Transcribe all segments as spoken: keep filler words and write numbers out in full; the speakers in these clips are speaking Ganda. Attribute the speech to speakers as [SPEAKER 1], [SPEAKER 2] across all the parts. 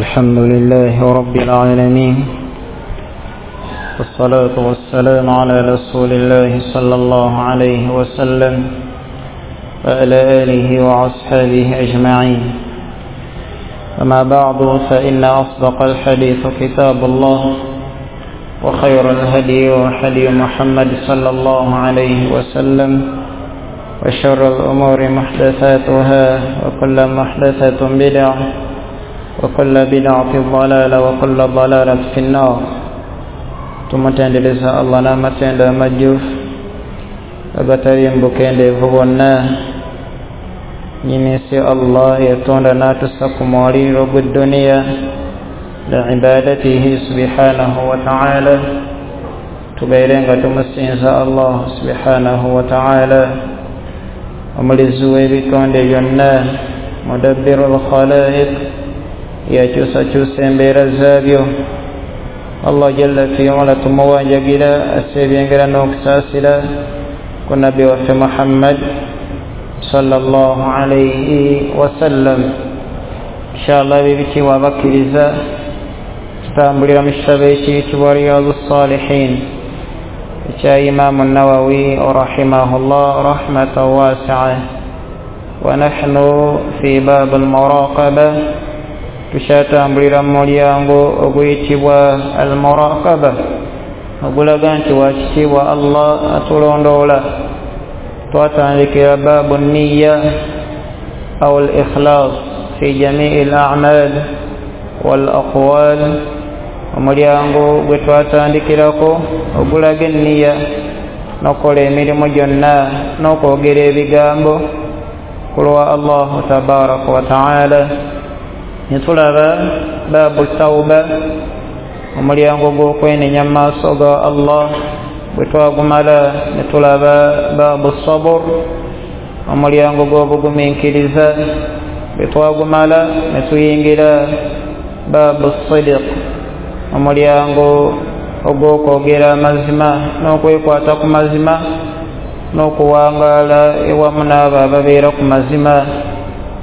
[SPEAKER 1] الحمد لله رب العالمين، والصلاة والسلام على رسول الله صلى الله عليه وسلم وعلى آله وأصحابه أجمعين. أما بعد، فإن أصدق الحديث كتاب الله، وخير الهدي هدي محمد صلى الله عليه وسلم، وشر الأمور محدثاتها، وكل محدثة بدعة، وكل بدعة ضلالة، وكل ضلالة في النار. Tumutendereza Allah n'amatendo amajjuvu agatali mubukendeevu bwonna. Nnyini Allah yatonda n'atussa ku mwaliiro gw'edduniya liibadatihi subhanahu wa ta'ala, tubeere nga tumusinza Allah subhanahu wa ta'ala, omulizi w'ebitonde byonna, mudabbiru lkhalaiq, yakyusakyusa embeera zaabyo. Allah jalla fi ula tumuwanjagira asse ebyengera n'okusaasira ku nabbi waffe Muhammad sallallahu alayhi wasallam. Inshallah ebibitiibwa abakkiriza tutambulira mu kitabo ekiyitibwa Riyadu Salihin ekya Imaamu Nawawi rahimahullah rahmatan wasi'a. Wa nahnu fi bab almuraqaba, tukyatambulira mu mulyango oguyitibwa almuraqaba, ogulaga nti wakitiibwa Allah atulondoola. Twatandikira baabu nniya au al-ikhlas fi jamii al-a'mal wal aqwal, omulyango gwe twatandikirako ogulaga enniya n'okukola emirimu gyonna n'okwogera ebigambo ku lwa Allahu tabaraka wa taala. Netulaba baabu tawba, omulyango gw'okwenenya mu maaso ga Allah. Bwe twagumala netulaba baabu sabur, omulyango gw'obugumiikiriza. Bwe twagumala netuyingira baabu sidiq, omulyango ogw'okwogera amazima n'okwekwata ku mazima n'okuwangaala ewamu n'abo ababeera ku mazima.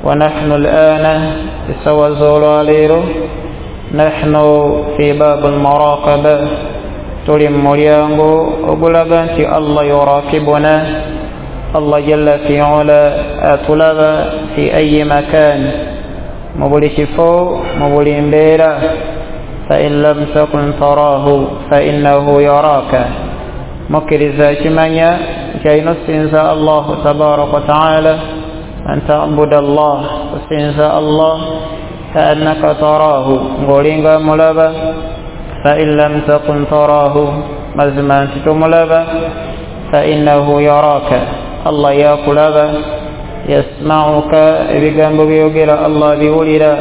[SPEAKER 1] Wa nahnu al-ana, essaawa z'olwaleero, nahnu fi baabu almuraqaba, tuli mu mulyango ogulaga nti Allah yurakibuna, Allah jalla fi ula atulaba fi ayi makan, mu buli kifo, mu buli mbeera. Fa in lam takun tarahu fa innahu yaraka. Mukkiriza kimanya nti alina okusinza Allahu tabaraka wa taala, an tabuda Allah, okusinza Allah kaannaka tarahu, ng'olinga mulaba. Fa in lam takun tarahu, mazima nti tomulaba, fa innahu yaraka, Allah yakulaba. Yasmauka, ebigambo byogera Allah biwulira.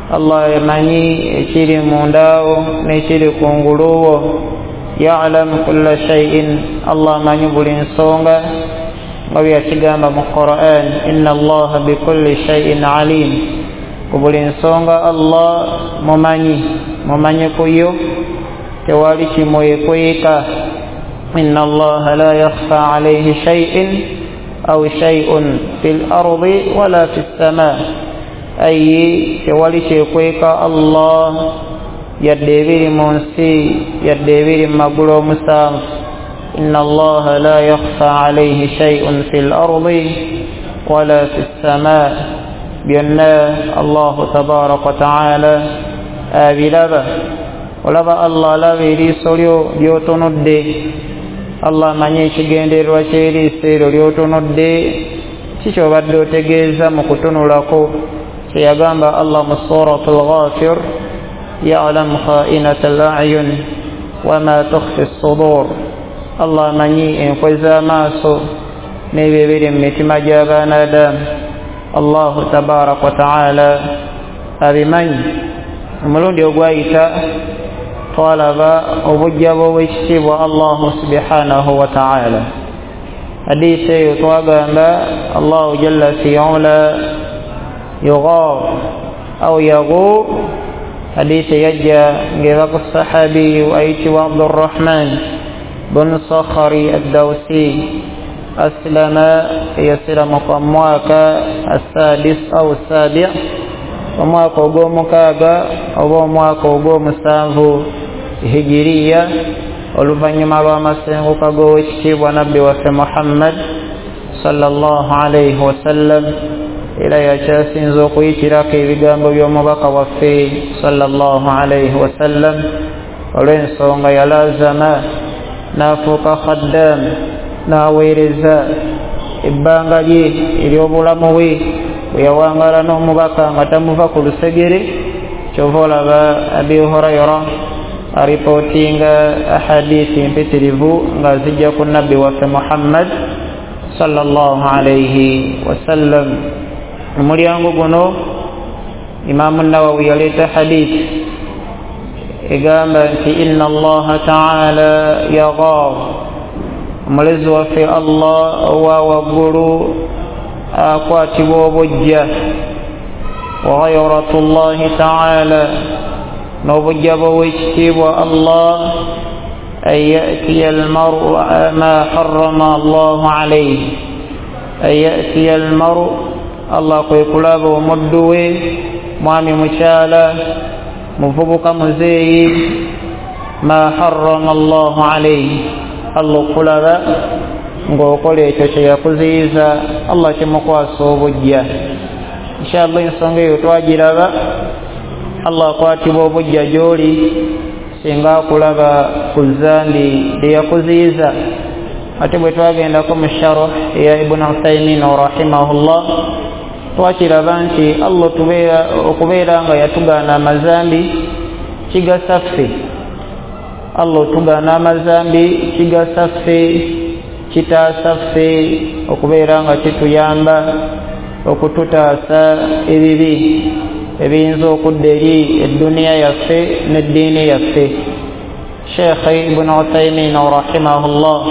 [SPEAKER 1] Allah yamanyi ekiri mundaawo n'ekiri kunguluwo. Yalamu kulla shay'in, Allah amanyi buli nsonga, nga bwe yakigamba mu Quran, inna Allaha bikulli shay'in alim. Ku buli nsonga Allah mumanyi, mumanyi ku yo, tewali kimwekweka. Inna Allaha la yakhfa alayhi shay'in aw shay'un fil ardi wala fis sama, ayi tewali kyekweka Allah yadde ebiri mu nsi yadde ebiri mu magulu omusanvu. Inna Allaha la yakhfa alayhi shay'un fil ardi wala fis sama, byonna Allahu tabaraka wa taala abiraba. Olaba Allah alaba eriiso lyo ly'otunudde, Allah amanyi ekigendererwa ky'eriiso eryo ly'otunudde, ki ky'obadde otegeeza mu kutunulako. Kyeyagamba Allah mu Suratul Ghafir, ya'lamu kha'inata al-a'yun wama tukhfi as-sudur. Allah amanyi enkwe z'amaaso n'ebyo ebiri mu mitima gy'abaana Adamu. Allahu tabaraka wa taala abimanyi. Omulundi ogwayita twalaba obujja bw'owekitiibwa Allahu subhanahu wa taala. Hadiisi eyo twagamba Allahu jalla fi ula yughar au yaghur. Hadiisi yajja ng'eva ku sahabiyu ayitibwa Abdurrahman bun Sakhari ad-Dawsi, aslama, yasiramuka mu mwaka assadis au sabi, Omwaka ogw'omukaaga oba omwaka ogw'omusanvu hijiriya, oluvannyuma lw'amasenguka g'owekitiibwa nabbi waffe Muhammad sallallahu alaihi wasallam. Era yakyasinza okuyitirako ebigambo by'omubaka waffe sallallahu alaihi wasallam, olw'ensonga yalazama n'afuuka khaddam, n'aweereza ebbanga lye ery'obulamu bwe bwe yawangaala n'omubaka nga tamuva ku lusegere. Kyova olaba Abi Hurayra aripootinga ahadithi mpitirivu nga zijja ku nabbi waffe Muhammad sallallahu alaihi wasallam. Omulyango guno Imamu Nawawi yaleeta hadithi egamba nti inna Allaha ta'ala yaghar, omulezi waffe Allah owa waggulu akwatibwa obujja, wa ghayratullahi ta'ala, n'obujja bw'owekitiibwa Allah, an ya'tiya almar'u ma harrama Allahu alayhi, an ya'tiya almar'u, Allah kwe kulaba omuddu we, mwami mukyala, muvubuka muzeeyi, ma harrama Allahu alayhi, Allah okulaba ng'okola ekyo kye yakuziyiza, Allah kimukwasa obujja. Inshallah ensonga eyo twagiraba. Allah akwatibwa obujja gy'oli singa akulaba ku zambi lye yakuziyiza. Ate bwe twagendako mu sharh eya Ibn Uthaymin rahimahullah, twakiraba nti Allah tubeera okubeera nga yatugaana amazambi kigasa ffe. Allah otugaana amazambi kigasa ffe, kitaasa ffe okubeera nga kituyamba okututaasa ebibi ebiyinza okudda eri edduniya yaffe n'eddiini yaffe. Sheikh Ibn Uthaymin rahimahullah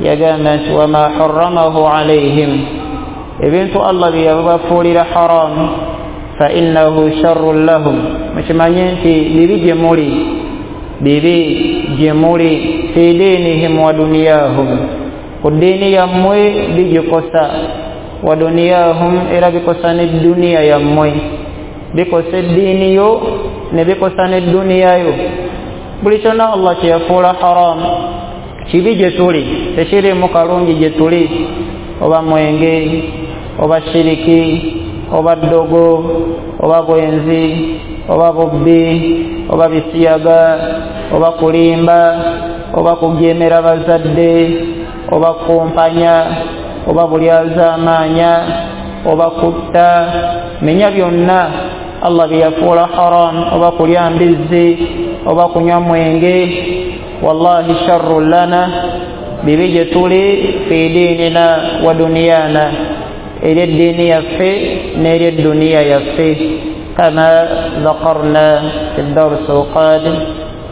[SPEAKER 1] yagamba nti wama harramahu alayhim, ebintu Allah bye yabafuulira haram, fa innahu sharrun lahum, mukimanye nti bibi gye muli, bibi gye muli, fi diinihim wa duniyahum, ku ddiini yammwe bigikosa, wa duniyahum, era bikosa n'edduniya yammwe, bikosa eddiini yo ne bikosa n'edduniya yo. Buli kyonna Allah kye yafuula haram kibi gye tuli, tekiriimu kalungi gye tuli, oba mwenge, oba shiriki, oba ddogo, oba bwenzi, oba bubbi, oba bisiyaga, oba kulimba, oba kugyemera bazadde, oba kumpanya, oba bulyazaamaanya, oba kutta, menya byonna Allah bye yafuula haram, oba kulya mbizzi, oba kunywa mwenge, wallahi sharru lana, bibi gye tuli, fi diinina wa duniyana, eri eddiini yaffe n'eri edduniya yaffe, kama dhakarna fi darsi alqadim,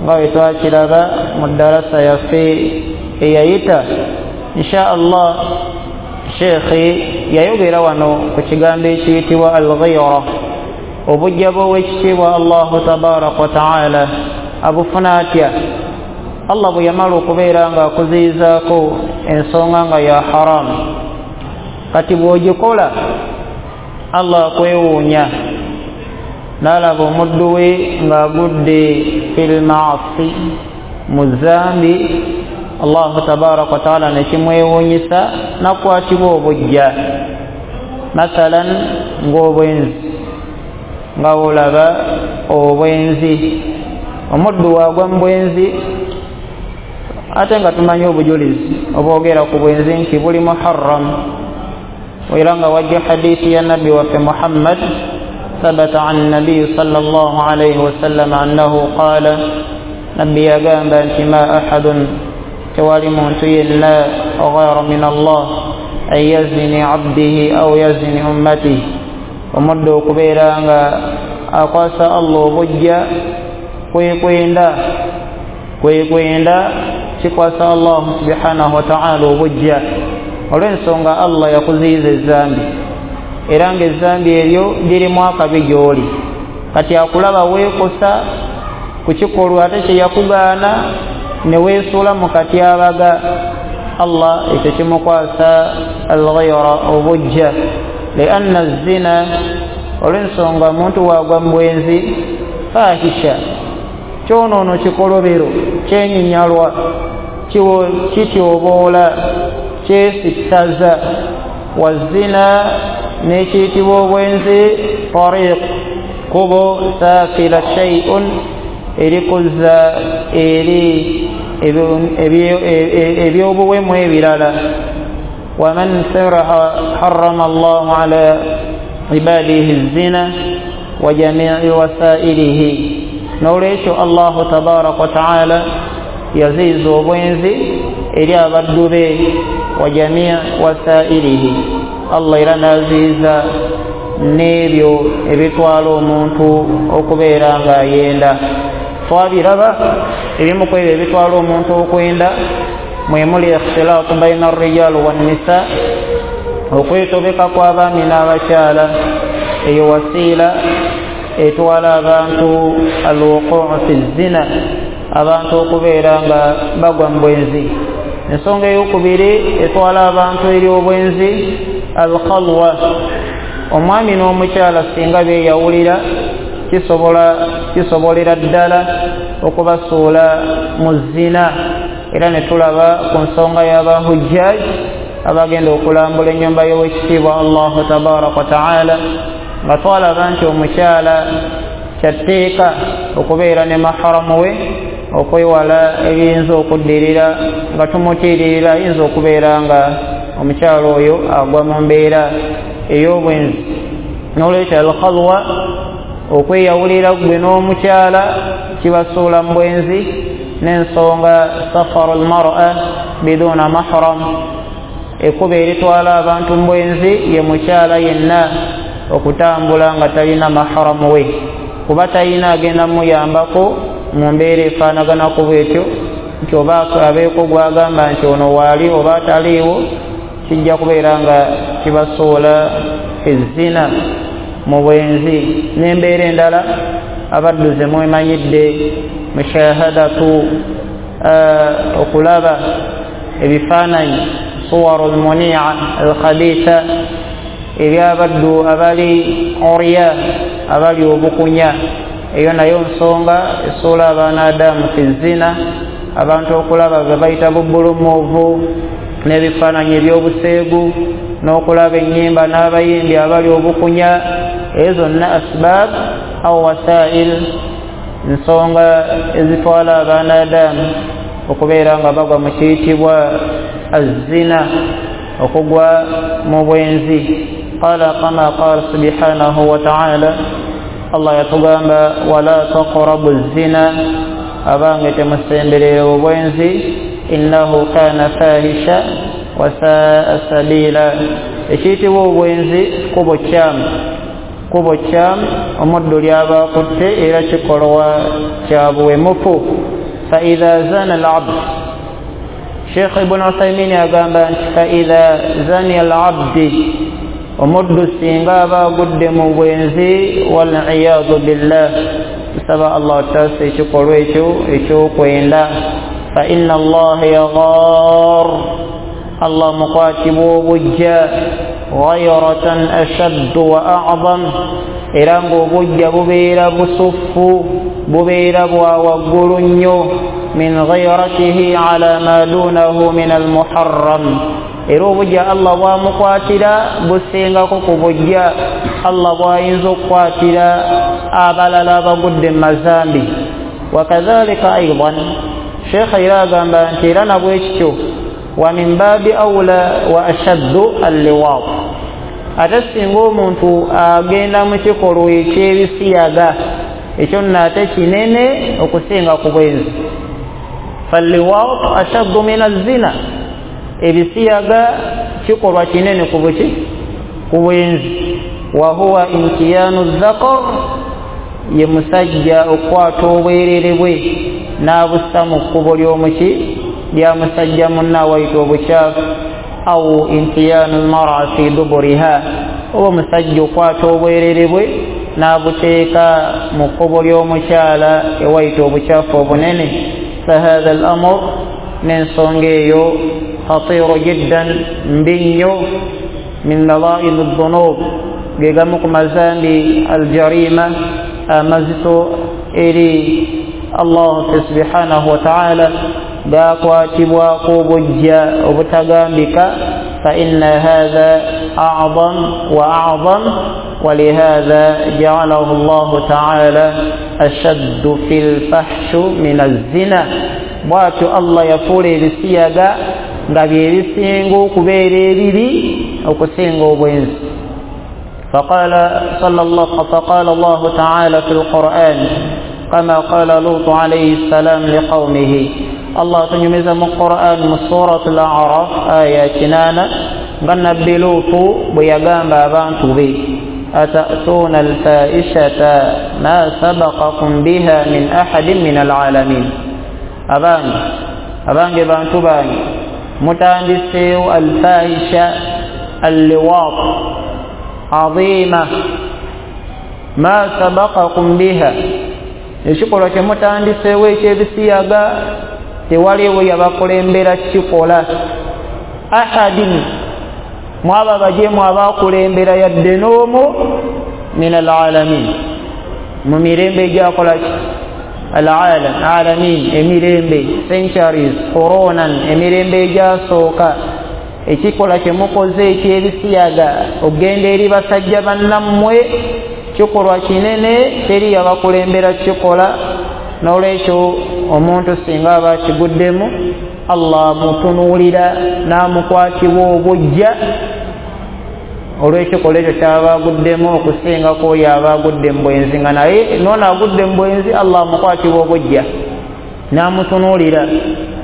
[SPEAKER 1] nga bwe twakiraba mu darasa yaffe eyayita. Insha Allah Sheikh yayogera wano ku kigambo ekiyitibwa al-ghayra, obujja bw'owekitiibwa Allahu tabaraka wa ta'ala abufuna atya? Allah bwe yamala okubeera nga akuziyizaako ensonga nga ya haramu, kati bw'ogikola Allah akwewuunya n'alaba omuddu we ng'agudde fil maasi, mu zambi, Allahu tabaraka wa ta'ala ne kimwewuunyisa n'akwatibwa obujja. Mathalan ng'obwenzi, nga olaba obwenzi, omuddu waagwa mu bwenzi, ate nga tumanyi obujulizi obwogera ku bwenzi nti buli muharram, era nga wajja hadithi ya nabbi waffe Muhammad, thabata an nabiyi sallallahu alayhi wasallam annahu qala, nabbi yagamba nti ma ahadun, tewali muntu yenna ghayra min Allah an yazini abdihi aw yazini ummatihi, omuddu okubeera nga akwasa Allah obujja kwekwenda, kwekwenda kikwasa Allah subhanahu wa ta'ala obujja, olw'ensonga Allah yakuziyiza ezambi, era ng'ezambi eryo lirimu akabi gy'oli. Kati akulaba weekosa ku kikolwa ate kye yakugaana ne weesuula mu katyabaga, Allah ekyo kimukwasa al-ghayra, obujja. Lianna zina, Olw'ensonga muntu waagwa mu bwenzi fahisha, kyonoono kikolobero, kyenyinyalwa, kityoboola, kyesittaza. Wazina, n'ekiyitibwa obwenzi, tariq, kubo, saafila shay'un, erikuzza eri ebyobuwemu ebirala. Waman saraha harrama Allahu ala ibadihi zina wa jamii wasailihi. N'olwekyo Allahu tabaraka wa taala yaziiza obwenzi eri abaddu be, wa jamii wasailihi, Allah era n'aziiza n'ebyo ebitwala omuntu okubeera ng'ayenda. Twabiraba ebimu ku ebyo ebitwala omuntu okwenda mwe muli ikhtilaatu baina arrijaal wannisa, okwetobeka kw'abaami n'abakyala. Eyo wasiila etwala abantu alwuquu fi zina, abantu okubeera nga bagwa mu bwenzi. Ensonga eyokubiri etwala abantu eri obwenzi, alkhalwa, omwami n'omukyala singa beeyawulira kisobola kisobolera ddala okubasuula mu zina. Era ne tulaba ku nsonga y'abahujjaj abagenda okulambula ennyumba y'owekitiibwa Allahu tabaraka wa taala, nga twalaba nti omukyala kyatteeka okubeera ne maharamu we okwewala ebiyinza okuddirira, nga tumutiiririra ayinza okubeera nga omukyala oyo agwa mu mbeera ey'obwenzi. N'olwekyo alkhalwa, okweyawulira gwe n'omukyala, kibasuula mu bwenzi. N'ensonga safaru almar'a biduna mahram, ekkubo eritwala abantu mu bwenzi ye mukyala yenna okutambula nga talina maharamu we, kuba talina agenda muyambako mu mbeera efaanaganako bwetyo, nti oba abeeko gwagamba nti ono waali oba ataliiwo, kijja kubeera nga kibasuula ezzina mu bwenzi. N'embeera endala abaddu ze mwemanyidde, mushahadatu, okulaba ebifaananyi, suwaru almunia alkhabitha, ebyabaddu abali orya, abali obukunya. Eyo nayo nsonga esuula abaana adamu fi zina, abantu okulaba be bayita bubulumuvu n'ebifaananyi ebyobuseegu, n'okulaba ennyimba n'abayimbi abali obukunya. Ezo zonna asbab au wasail, nsonga ezitwala abaana adamu okubeera nga bagwa mu kiyitibwa azzina, okugwa mu bwenzi. Qala kama qala subhanahu wa ta'ala, Allah yatugamba wala taqrabu zina, abange temusemberera obwenzi, innahu kana fahisha wa saa sabila. Ekiyitibwa obwenzi kubo kyamu, kubo kyamu omuddu lyaba akutte, era kikolwa kya buwemufu. Fa idha zana al-abd, Sheikh Ibn Uthaymin agamba nti fa idha zani al-abdi, omuddu singa aba agudde mu bwenzi, wal iyadu billah, tusaba Allah taasa ekikolwa ekyo ekyokwenda. Fa inna Allaha yaghar, Allah mukwatibwa obujja, ghayratan ashaddu wa a'zam, era ng'obujja bubeera busuffu, bubeera bwa waggulu nnyo, min ghayratihi ala ma dunahu min almuharram, era obujja Allah bwamukwatira busingako ku bujja Allah bwayinza okukwatira abalala abagudde mu mazambi. Wakadhalika aidan, Sheikh era agamba nti era nabwekityo, wa min babi aula wa ashaddu alliwaat, ate singa omuntu agenda mu kikolwa eky'ebisiyaga, ekyo nno ate kinene okusinga ku bwenzi. Falliwaat ashaddu min azzina, ebisiyaga kikolwa kinene ku buki, ku bwenzi. Wa huwa intiyanu dhakar, ye musajja okukwata obwerere bwe n'abussa mu kkubo ly'omuki lya musajja munne awayita obukyafu, au intiyanu lmara fi duburiha, oba omusajja okwata obwerere bwe n'abuteeka mu kkubo ly'omukyala ewayita obukyafu obunene. Fahatha al amur, n'ensonga eyo khatiru jiddan, mbi nnyo, min nadhaili dhunub, Ge gamu ku mazambi aljarima amazito eri Allah subhanahu wa ta'ala, gakwatibwako obujja obutagambika. Fa inna hadha a'zam wa a'zam, ولهذا جعله الله تعالى أشد في الفحش من الزنا. Bwatyo Allah yafuula ebisiyaga nga bye bisinga okubeera ebibi okusinga obwenzi. فقال صلى الله فقال الله تعالى في القرآن كما قال لوط عليه السلام لقومه. الله تنيمز من القرآن من سورة الأعراف آية تنانا النبي لوط بيغamba abantu be أتأتون الفاحشة ما سبقكم بها من أحد من العالمين. Abange abange bantu bange, mutandiseewo alfahisha alliwat azima ma sabaqakum biha, ekikolwa kye mutandiseewo ekyebisiyaga tewaliwo yabakulembera kikola. Ahadin, mwaba bajemu abakulembera yadde n'omu, min alalamin, mu mirembe egyakola ki alalam alamin, emirembe centuries coronan, emirembe egyasooka. Ekikolwa kye mukoze ekyebisiyaga okugenda eri basajja bannammwe kikolwa kinene, teri yabakulembera kikola. N'olwekyo omuntu singa aba akiguddemu Allah mutunuulira n'amukwatibwa obujja olw'ekikolwa ekyo kyaba aguddemu okusingako oyo aba agudde mu bwenzi. Nga naye noono agudde mu bwenzi Allah amukwatibwa obujja n'amutunuulira,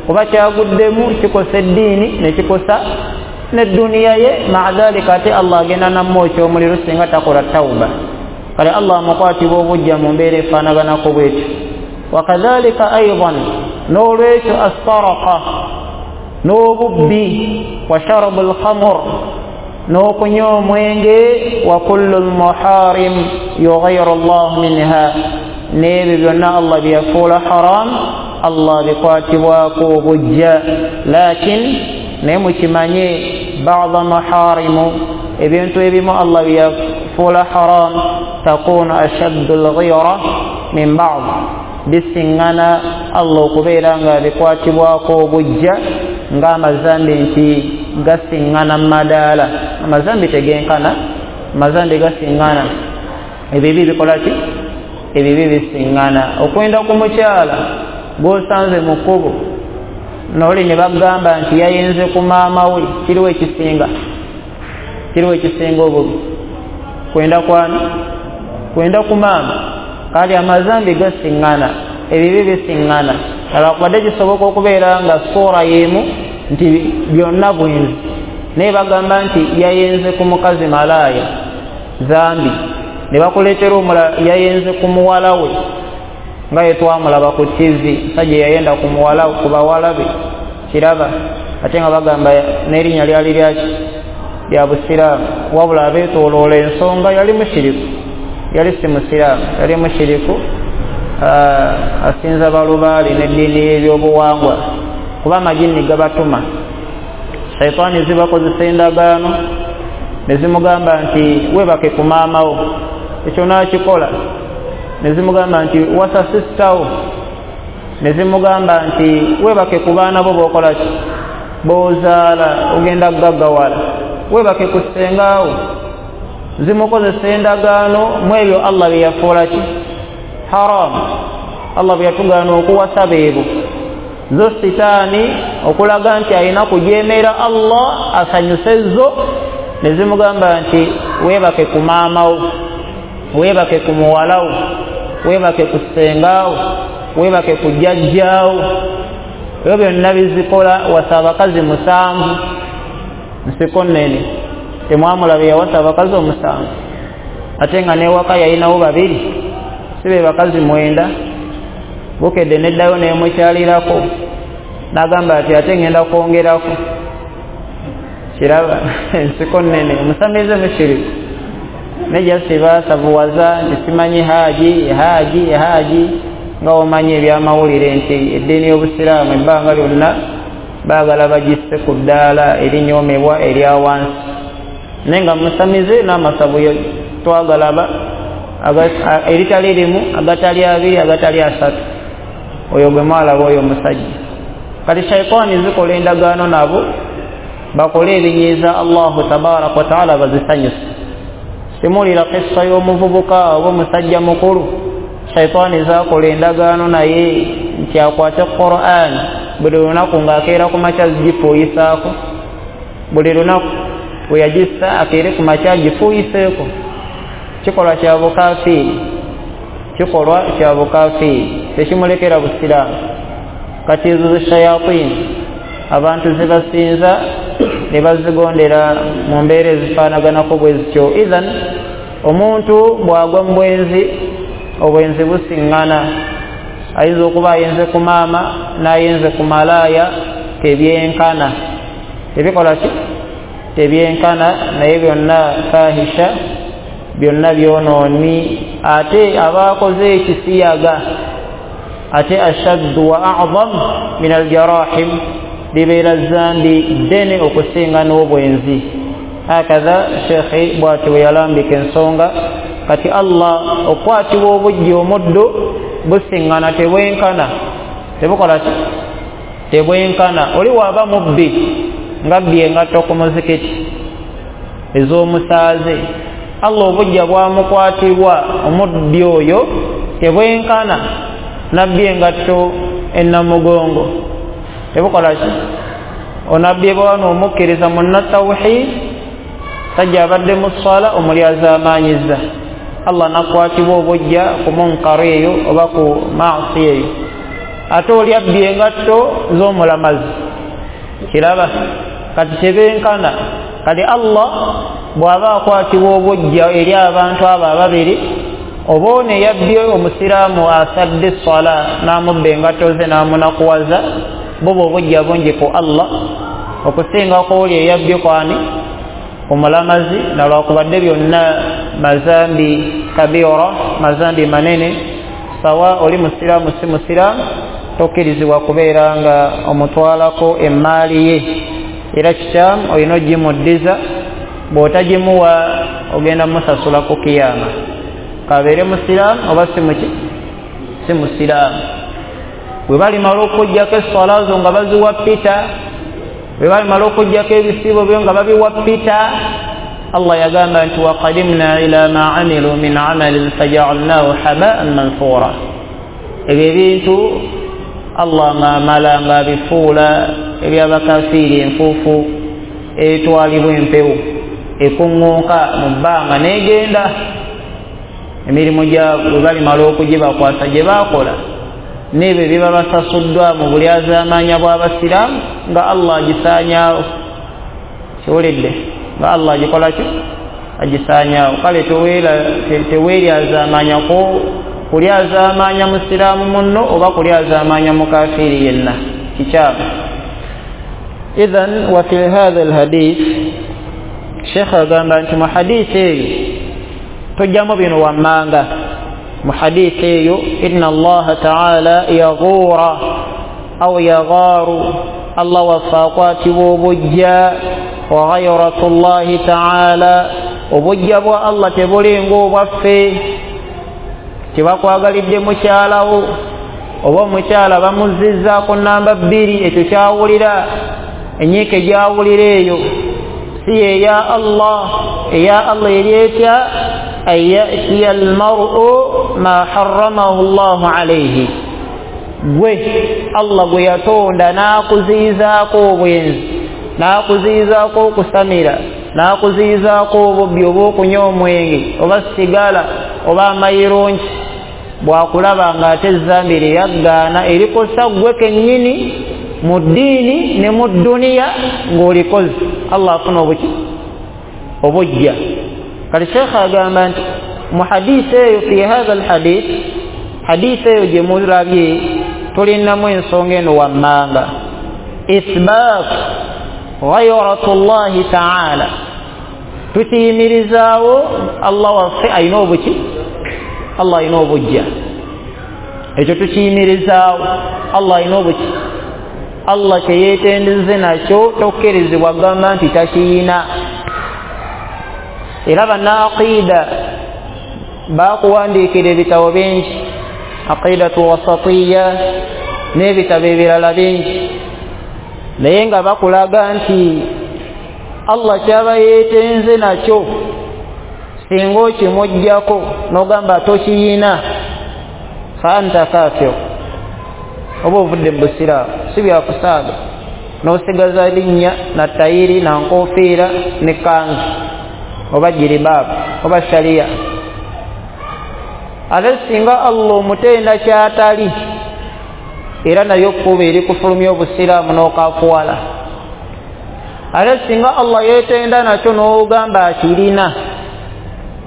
[SPEAKER 1] kuba kyaguddemu kikosa eddiini ne kikosa n'edduniya ye. Maadhalika ate Allah agenda namwokya omuliro singa takola tawuba. Kale Allah amukwatibwa obujja mu mbeera efaanaganako bwetyo. Wakadhalika aidan, n'olwekyo assaraqa, n'obubbi, wa sharabu lkhamur, n'okunywa omwenge, wa kullu lmuharim yughayyiru llah minha, n'ebyo byonna Allah byeyafuula haram Allah bikwatibwako obujja. Lakin naye mukimanye bada maharimu, ebintu ebimu Allah byeyafuula haram takunu ashaddu lghira min bad, bisiŋŋana Allah okubeera nga bikwatibwako obujja ng'amazambi nti gasiŋŋana madaala. Amazambi tegenkana, amazambi gasiŋŋana. Ebibi bikola ki? Ebibi bisiŋŋana. Okwenda ku mukyala gw'osanze mu kkubo n'oli ne bagamba nti yayenze ku maama we, kiriwo ekisinga? Kiriwo ekisinga obubi? Kwenda kwani? Kwenda ku maama. Kale amazambi gasiŋŋana, ebibi bisiŋŋana. Alwakubadde kisoboka okubeera nga suura y'emu nti byonna bwenzi, naye bagamba nti yayenze ku mukazi malaaya zambi, ne bakuleetera omulala yayenze ku muwala we nga ye twamulaba ku T V, musajja yayenda ku muwala ku bawala be kiraba, ate nga bagamba n'erinnya lyali lyaki lya busiraamu, wabula abeetooloola ensonga yali mushiriku, yali si musiraamu, yali mushiriku, asinza balubaali n'eddiini y'ebyobuwangwa, kuba amajinni gabatuma. Shaitaani zibakozesa endagaano ne zimugamba nti weebake ku maama wo, ekyo n'akikola. Ne zimugamba nti wasa sisita wo, ne zimugamba nti weebake ku baana bo b'okola ki b'ozaala, ogenda kugaggawala, weebake ku ssengaawo. Zimukozesa endagaano mu ebyo Allah bye yafuula ki haramu, Allah bwe yatugaana okuwasa beebo. Zo sitaani okulaga nti alina kujeemera Allah asanyuse zo, ne zimugamba nti weebake ku maama wo, weebake ku muwala wo, weebake ku ssengaawo, weebake ku jjajjaawo. Ebyo byonna bizikola. Wasa abakazi musanvu, nsiko nnene, temwamulaba yawasa abakazi omusanvu, ate nga n'ewaka yalinawo babiri, si be bakazi mwenda. Bukedde neddayo nemukyalirako n'agamba ati ate ngenda kwongerako. Kiraba ensiko nnene, omusamize mushiriku nejja sibasavuwaza nti simanyi haji haji haji, nga omanyi ebyamawulire nti eddiini y'obusiraamu ebbanga lyonna baagala bagisse ku ddaala erinyoomebwa erya wansi, naye nga musamize n'amasabu Twagalaba eritali limu, agatali abiri, agatali asatu. Oyo gwe mwalaba oyo omusajja. Kati shaitaani zikola endagaano nabo bakole ebinyiiza Allahu tabaraka wataala bazisanyuse. Simulira kissa y'omuvubuka oba omusajja mukulu, shaitaani zakola endagaano naye nti akwate Qur'an buli lunaku ng'akeera ku makya zigifuuyisaako, buli lunaku bwe yagissa akeere ku makya agifuuyiseeko. Kikolwa kya bukafiiri, kikolwa kya bukafiiri, tekimulekera busiraamu. Kati ezo zishayatini abantu zibasinza ne bazigondera mu mbeera ezifaanaganako bwe zityo. Ithan omuntu bw'agwa mu bwenzi, obwenzi busiŋŋana. Ayinza okuba ayenze ku maama n'ayenze ku malaaya, tebyenkana. Tebikola ki? Tebyenkana, naye byonna fahisha, byonna byonooni. Ate abaakoze ekisiyaga ate ashaddu wa a'zam min aljarahim, libeera zambi ddene okusinga n'obwenzi. Hakadha shekhi bw'ati bwe yalambika ensonga. Kati Allah okwatibwa obujja omuddu busiŋŋana, tebwenkana. Tebukola ki? Tebwenkana. Oli waaba mubbi ng'abbye engatto ku muzikiti ez'omusaaze, Allah obujja bwamukwatibwa omubbi oyo tebwenkana nabbye engatto ennamugongo. Tebukola ki? Onabbye bwano omukkiriza munnatawhid, sajja abadde mu sswala omulyazaamaanyiza, Allah nakwatibwa obujja ku munkar eyo oba ku maasi eyo. Ate oli abbye engatto z'omulamazi, kiraba? Kati tebenkana. Kati Allah bw'aba akwatibwa obujja eri abantu abo ababiri, oba ono eyabbye omusiraamu asadde esswala n'amubba engatto ze n'amunakuwaza, buba obujja bungi ku Allah okusinga ku oli eyabbye kwani omulamazi. Nalwakubadde byonna mazambi kabira, mazambi manene. Sawa oli musiraamu si musiraamu, tokkirizibwa kubeera nga omutwalako emmaali ye. Era kikyamu, olina ogimuddiza, bw'otagimuwa ogenda musasula ku kiyama, kabeere musiraamu oba si muki si musiraamu. Bwe balimala okuggyako esswala zo nga baziwa pita, bwe balimala okuggyako ebisiibo byo nga babiwa pita, Allah yagamba nti waqadimna ila ma amilu min amalin fajaalnahu habaan manthura. Ebyo ebintu Allah ng'amala ng'abifuula ebyabakafiiri enfuufu etwalibwa empewo ekuŋŋunka mu bbanga n'egenda. Emirimu gyabwe bwe balimala okugibakwasa gye baakola n'ebyo ebiba basasuddwa mu bulyazaamaanya bw'abasiraamu nga Allah agisaanyaawo. Kiwulidde? Nga Allah agikola ki? Agisaanyaawo. Kale teweeryazaamaanyako kulyazaamaanya musiraamu munno oba kulyazaamaanya mukafiiri yenna, kikyamu. Idhan wa fi hadha alhadith, Sheikh agamba nti mu hadithi eyo tujjamu bino wammanga. Mu hadithi eyo inna Allaha ta'ala yaghura au yagharu, Allah waffe akwatibwa obujja. Wa ghayratu Allahi ta'ala, obujja bwa Allah tebulinga obwaffe. Tebakwagalidde mukyalawo oba omukyala bamuzizzaako namba bbiri, ekyo kyawulira enyiike gyawulira eyo si eya Allah. Eya Allah eri etya? An yatiya almar'u ma harramahu Allahu alayhi, gwe Allah gwe yatonda n'akuziyizaako obwenzi, n'akuziyizaako okusamira, n'akuziyizaako obubbi oba okunywa omwenge oba sigala oba amayirungi, bw'akulaba ng'ate ezzambi lye yaggaana erikosa ggwe kennyini mu ddiini ne mu dduniya ng'olikoze, Allah afuna obuki? Obujja. Kati Sheikh agamba nti mu hadiisi eyo, fi hadha alhadith, hadiisi eyo gye mulabye tulinamu ensonga eno wammanga: ithbat ghayratu llahi ta'ala, tukiyimirizaawo Allah waffe alina obuki? Allah alina obujja. Ekyo tukiyimirizaawo, Allah alina obuki? Allah kyeyeetendeze nakyo tokkirizibwa kugamba nti takiyina. Era bannaaqiida Bakuwandiikira ebitabo bingi, aqidatu wasatiya n'ebitabo ebirala bingi, naye nga bakulaga nti Allah kyaba yeetenze nakyo singa okimuggyako n'ogamba tokiyina fa anta kafir, oba ovudde mu busiraamu, si byakusaaga n'osigaza linnya na tayiri na nkofiira ne kanzu oba jiribaabu oba shariya. Ate singa Allah omutenda kyatali, era nayo kkuba eri kufulumya obusiraamu n'okafuwala. Ate singa Allah yeetenda nakyo n'ogamba akirina,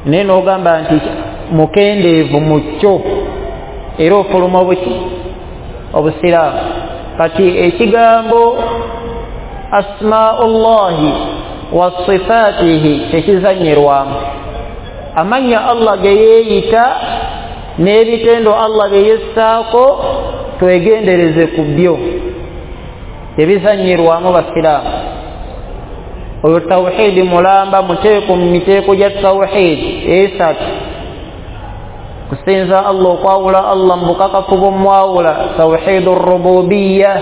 [SPEAKER 1] naye n'ogamba nti mukendeevu mu kyo, era ofuluma obuki obusiraamu. Kati ekigambo asmaullahi wa sifatihi tekizanyirwamu. Amannya Allah ge yeeyita n'ebitendo Allah bye yessaako twegendereze ku byo, tebizanyirwamu basiraamu. Oyo tawhidi mulamba, muteeko mu miteeko gya tawhidi esatu: kusinza Allah, okwawula Allah mu bukakafu bw'omwawula, tawhidu rububiya.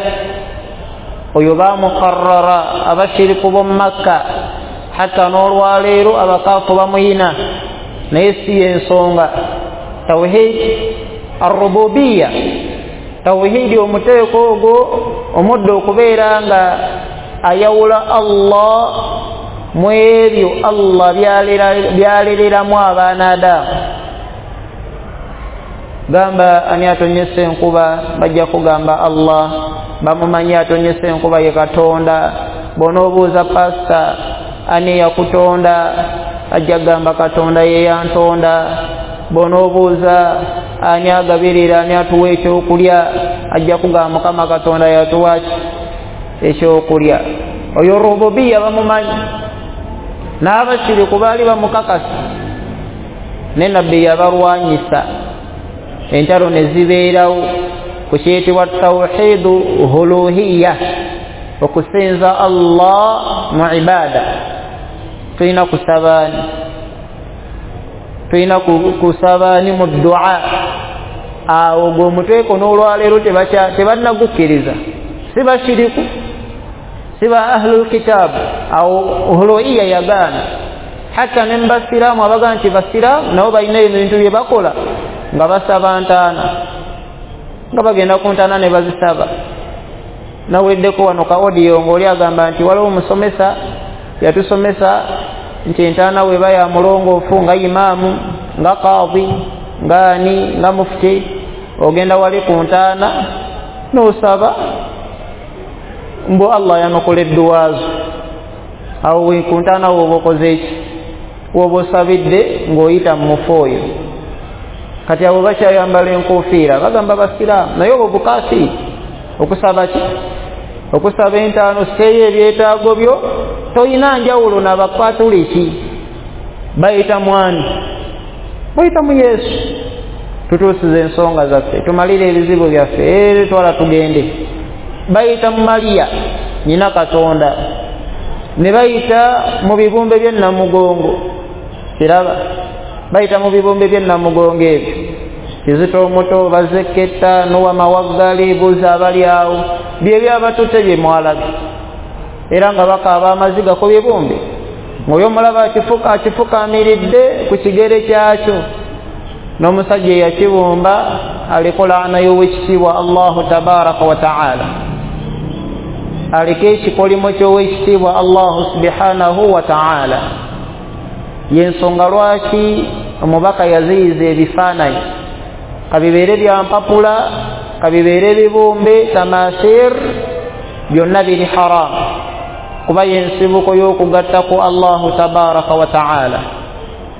[SPEAKER 1] Oyo bamukarrara abashiriku b'omu Makka, hatta n'olwaleero abakaafu bamuyina, naye si y'ensonga. Tawhid arrububiya, tawhidi omuteeko ogwo omudde okubeera nga ayawula Allah mu ebyo Allah byaliriramu abaana Adamu. Gamba ani atonyesa enkuba, bajja kugamba Allah. Bamumanyi atonyesa enkuba ye Katonda. Bw'onoobuuza pasita ani yakutonda, ajja kugamba Katonda ye yantonda. Bw'onoobuuza ani agabirira, ani atuwa ekyokulya, ajja kugamba Mukama Katonda yatuwa ekyokulya. Oyo rububiya bamumanyi, n'abashiriku baali bamukakasa, ne nabbi yabalwanyisa. Entalo ne zibeerawo ku kiyitibwa tawhidu huluhiya, okusinza Allah mu ibada. Tulina kusabaani, tulina kusabaani mu dua. Awo gwe omuteeko n'olwaleero tebannagukkiriza, si bashiriku, si ba ahlul kitaabu. Awo huluhiya yagaana. Hatta ne mubasiraamu abaga nti basiraamu nabo balina ebintu bye bakola nga basaba ntaana, nga bagenda ku ntaana ne bazisaba. Naweddeko wano ka audio ng'oli agamba nti waliwo omusomesa yatusomesa nti entaana weba ya mulongoofu nga imaamu nga kaadhi nga ani nga mufti, ogenda wali ku ntaana n'osaba mbu Allah yanukula edduwaazo. Awo ku ntaana woba okoze eki? Woba osabidde ng'oyita mu mufu oyo. Kati abo bakyayambala enkofiira bagamba basiraamu, naye obwo bukaafiri. Okusaba ki? Okusaba entaano, seeyo ebyetaago byo, toyina njawulo n'abakatuliki. Bayita mwani? Bayita mu Yesu. Tutuusize ensonga zaffe, tumalire ebizibu byaffe, ere twala tugende. Bayita mu Mariya nyina Katonda, ne bayita mu bibumbe by'ennamugongo. Kiraba bayita mu bibumbe by'ennamugongo ebyo, Kizito omuto, Bazeketa, Nowa Mawaggali, buuza abali awo, bye byabatutte bye mwalabye, era nga bakaaba amaziga ku bibumbe. Ng'oyo omulaba akifuka akifukamiridde ku kigere kyakyo, n'omusajja eyakibumba aliko laana y'owekitiibwa Allahu tabaraka wa taala, aliko ekikolimo ky'owekitiibwa Allahu subhanahu wa taala. Y'ensonga lwaki omubaka yaziyiza ebifaananyi, kabibeere bya mpapula, kabibeere bibumbe, tamasir, byonna biri haramu, kuba y'ensibuko y'okugatta ku Allahu tabaraka wa taala.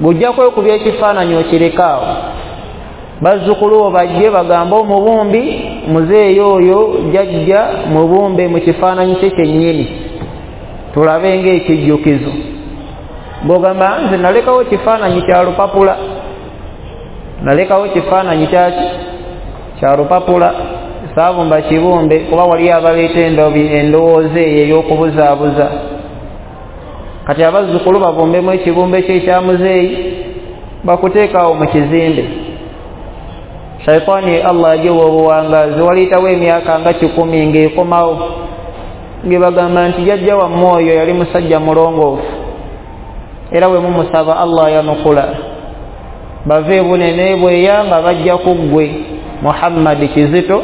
[SPEAKER 1] Gujja kwekubya ekifaananyi okirekaawo, bazzukulu bo bajje bagambe omubumbi muzeeyo oyo jjajja mubumbe mu kifaananyi kye kyennyini, tulabe ng'ekijjukizo. Bw'ogamba nze nalekawo kifaananyi kya lupapula, nalekawo kifaananyi kyaki kya lupapula, saabumba kibumbe, kuba waliyo abaleeta endowooza eyo ey'okubuzaabuza. Kati abazzukulu babumbemu ekibumbe kye ekya muzeeyi, Bakuteekawo mu kizimbe. Shaitaani Allah agiwa obuwangaazi, waliyitawo emyaka nga kikumi ng'ekomawo, ngebagamba nti jjajja wammwe oyo yali musajja mulongoofu, era bwe mumusaba Allah yanukula. Bave bunene bweya nga bajja ku ggwe Muhammad Kizito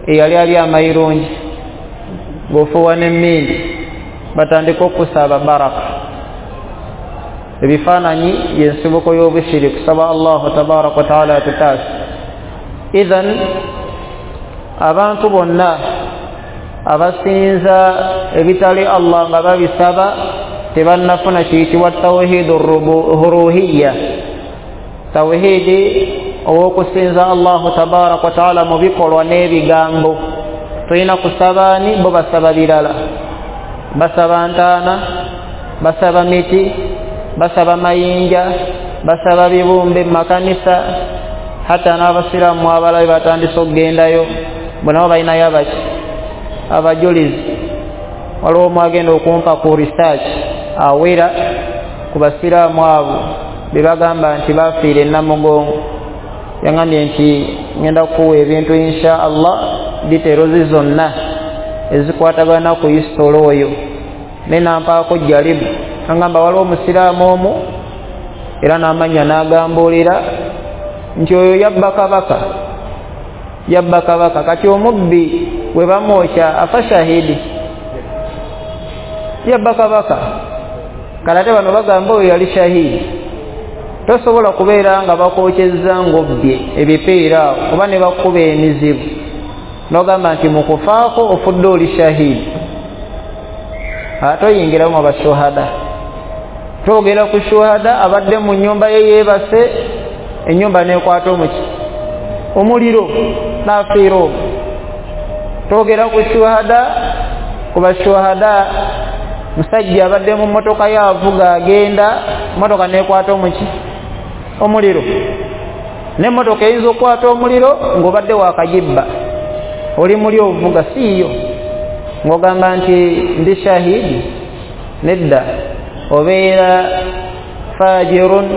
[SPEAKER 1] eyali ali amayirungi ng'ofuuwa n'emmindi, batandika okusaba baraka. Ebifaananyi y'ensibuko y'obushiriku. Kusaba Allahu tabaraka wa taala atutaase. Idhan abantu bonna abasinza ebitali Allah nga babisaba tebannafuna kiyitibwa tawhidu ruhiyya, tawhidi ow'okusinza Allahu tabaraka wa taala mu bikolwa n'ebigambo. Tulina kusabaani, bo basaba birala, basaba ntaana, basaba miti, basaba mayinja, basaba bibumbe mu makanisa. Hatta n'abasiraamu abalabe batandise okugendayo, bo nabo balinayo abaki abajulizi. Waliwo omu agenda okumpa ku research awera ku basiraamu abo be bagamba nti bafiire e Namugongo. Yangambye nti ngenda kukuwa ebintu insha Allah, details zonna ezikwatagana ku history oyo, naye nampaako jalibu. Angamba waliwo omusiraamu omu era n'amanya n'agambuulira nti oyo yabba kabaka, yabba kabaka. Kati omubbi bwe bamwokya afa shahidi, yabba kabaka. Kale ate bano bagamba oyo yali shahidi. Tosobola kubeera nga bakwokyezza ng'obbye ebipiira awo oba ne bakuba emizibu n'ogamba nti mu kufaako ofudde oli shahidi. Ate oyingiramu abashuhada. Twogera ku shuhada abadde mu nnyumba ye yeebase, ennyumba n'ekwata omuki omuliro n'afiira omwo. Twogera ku shuhada, ku bashuhada musajja abadde mu mmotoka ye avuga agenda, mmotoka n'ekwata omuki omuliro. N'emmotoka eyinza okukwata omuliro ng'obadde waakagibba, oli muli ovuga siiyo, ng'ogamba nti ndi shahidi. Nedda, obeera fajirun,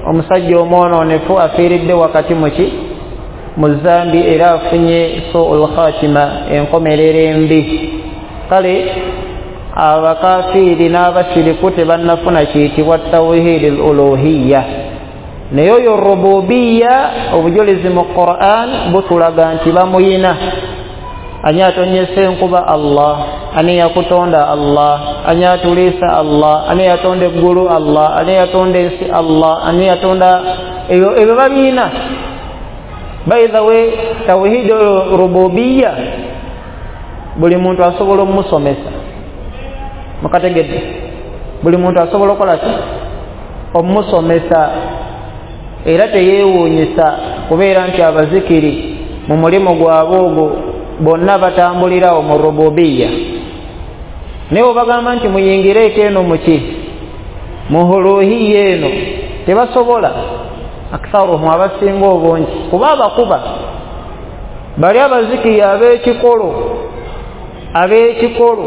[SPEAKER 1] omusajja omwonoonefu afiiridde wakati muki mu zambi, era afunye suul khatima, enkomerero embi. Kale abakafiiri n'abashiriku tebannafuna kiyitibwa tawhidi al-uluhiyya. Naye oyo rububiya, obujulizi mu Qur'an butulaga nti bamuyina. Ani atonyesa enkuba? Allah. Ani yakutonda? Allah. Ani atuliisa? Allah. Ani yatonda eggulu? Allah. Ani yatonda ensi? Allah. Ani yatonda ebyo, ebyo babiyina. By the way, tawhidi rububiya buli muntu asobola omusomesa. Mukategedde? Buli muntu asobola okukola ki? Omusomesa. Era teyeewuunyisa kubeera nti abazikiri mu mulimu gwabwe ogwo bonna batambulirawo mu rububiya. Naye obagamba nti muyingireeko eno muki mu huluhiya eno, tebasobola. Aktharuhum, abasinga obungi, kuba abakuba bali abazikiri ab'ekikolo, ab'ekikolo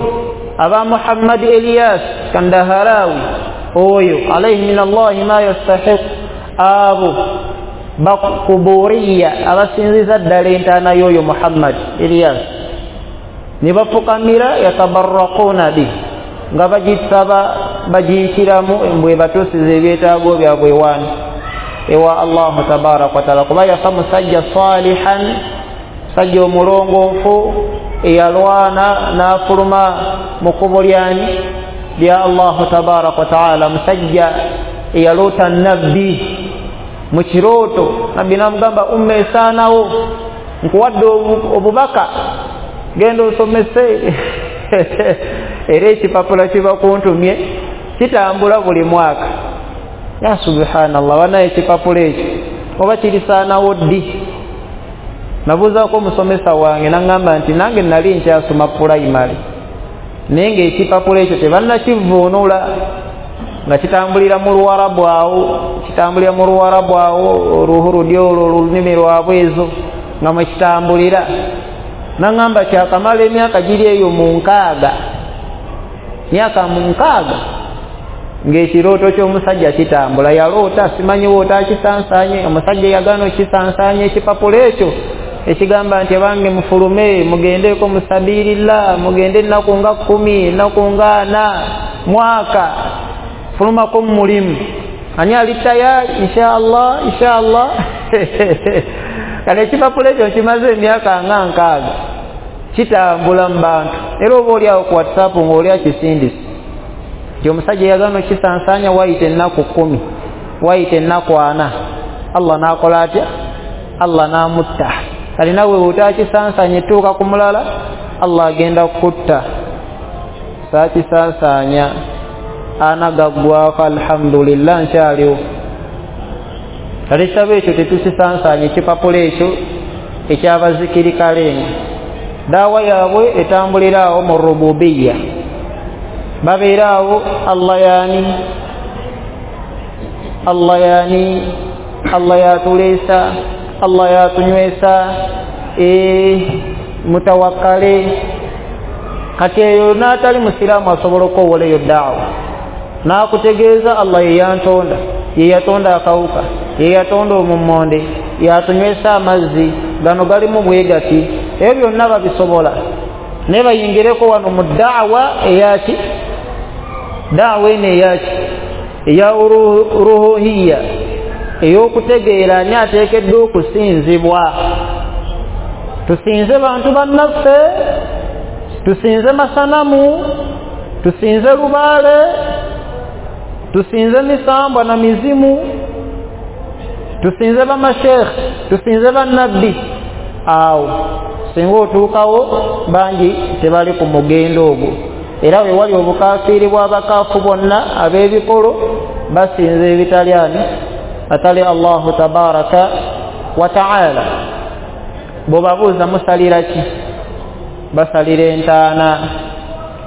[SPEAKER 1] aba Muhammad Elias Kandaharawi oyo alayhi min Allahi ma yastahiq, abo bakuburiya abasinziza ddala entaana y'oyo Muhammad Elias, ne bafukamira yatabarraquuna bi, nga bagisaba bagiyitiramu mbwe batuusiza ebyetaago byabwe wano ewa Allahu tabaraka wa taala. Kuba yafa musajja salihan, musajja omulongoofu eyalwana n'afuluma mu kkubo lyani lya Allahu tabaraka wa taala, musajja eyaloota nabbi mu kirooto, nabbi n'amugamba umma esaanawo, nkuwadde obubaka, genda osomese. Era ekipapula kiba kuntumye kitambula buli mwaka. Ya subhanallah, banaye ekipapula ekyo oba kirisaanawo ddi? Nabuuzaako omusomesa wange n'aŋŋamba nti nange nali nkyasoma pulayimale, naye ng'ekipapula ekyo tebannakivuunula, nga kitambulira mu Luwarabu awo, kitambulira mu Luwarabu awo, oluhurudi olwo olulimi lwabwe ezo nga mwe kitambulira. N'aŋŋamba kyakamala emyaka giri eyo mu nkaaga, myaka mu nkaaga Ng'ekirooto ky'omusajja kitambula, yaloota simanyi woota akisansaanye, omusajja yagaana okisansaanye ekipapula ekyo ekigamba nti abange mufulume mugendeko musabirillah, mugende ennaku nga kkumi, ennaku nga ana, mwaka, fulumako mu mulimu. Ani ali tayari? Inshallah, inshallah. Kale ekipapula ekyo kimaze emyaka nga nkaaga kitambula mu bantu, era oba oli awo ku WhatsApp ng'oli akisindise nti omusajja yagaana okisansaanya wayita ennaku kkumi, wayita ennaku ana, Allah n'akola atya? Allah n'amutta. Kale nawe bw'otakisansaanya etuuka ku mulala, Allah agenda kukutta. Saakisansaanya ana gaggwako, alhamdulillah nkyaliwo. Kale ekitabo ekyo tetukisansaanya, ekipapula ekyo ekyabazikirikalenga. Daawa yaabwe etambulira awo mu rububiya, babeera awo Allah yaani, Allah yaani, Allah yatuleesa, Allah yatunywesa, ee mutawakkale. Kati eyo n'atali musiraamu asobola okwowola eyo daawa n'akutegeeza Allah ye yantonda, ye yatonda akawuka, ye yatonda omummonde, yatunywesa amazzi, gano galimu bwegati. Ebyo byonna babisobola, naye bayingireko wano mu daawa eyaki, daawa eno eyaki, eya ruhuhiya, ey'okutegeera ani ateekeddwa okusinzibwa. Tusinze bantu bannaffe, tusinze masanamu, tusinze lubaale, tusinze misambwa na mizimu, tusinze bamashekhe, tusinze bannabbi. Awo singa otuukawo bangi tebali ku mugendo ogwo, era we wali obukafiiri bw'abakaafu bonna ab'ebikolo basinza ebitali ani atali Allahu tabaraka wa taala. Bw'obabuuza musalira ki? Basalira entaana,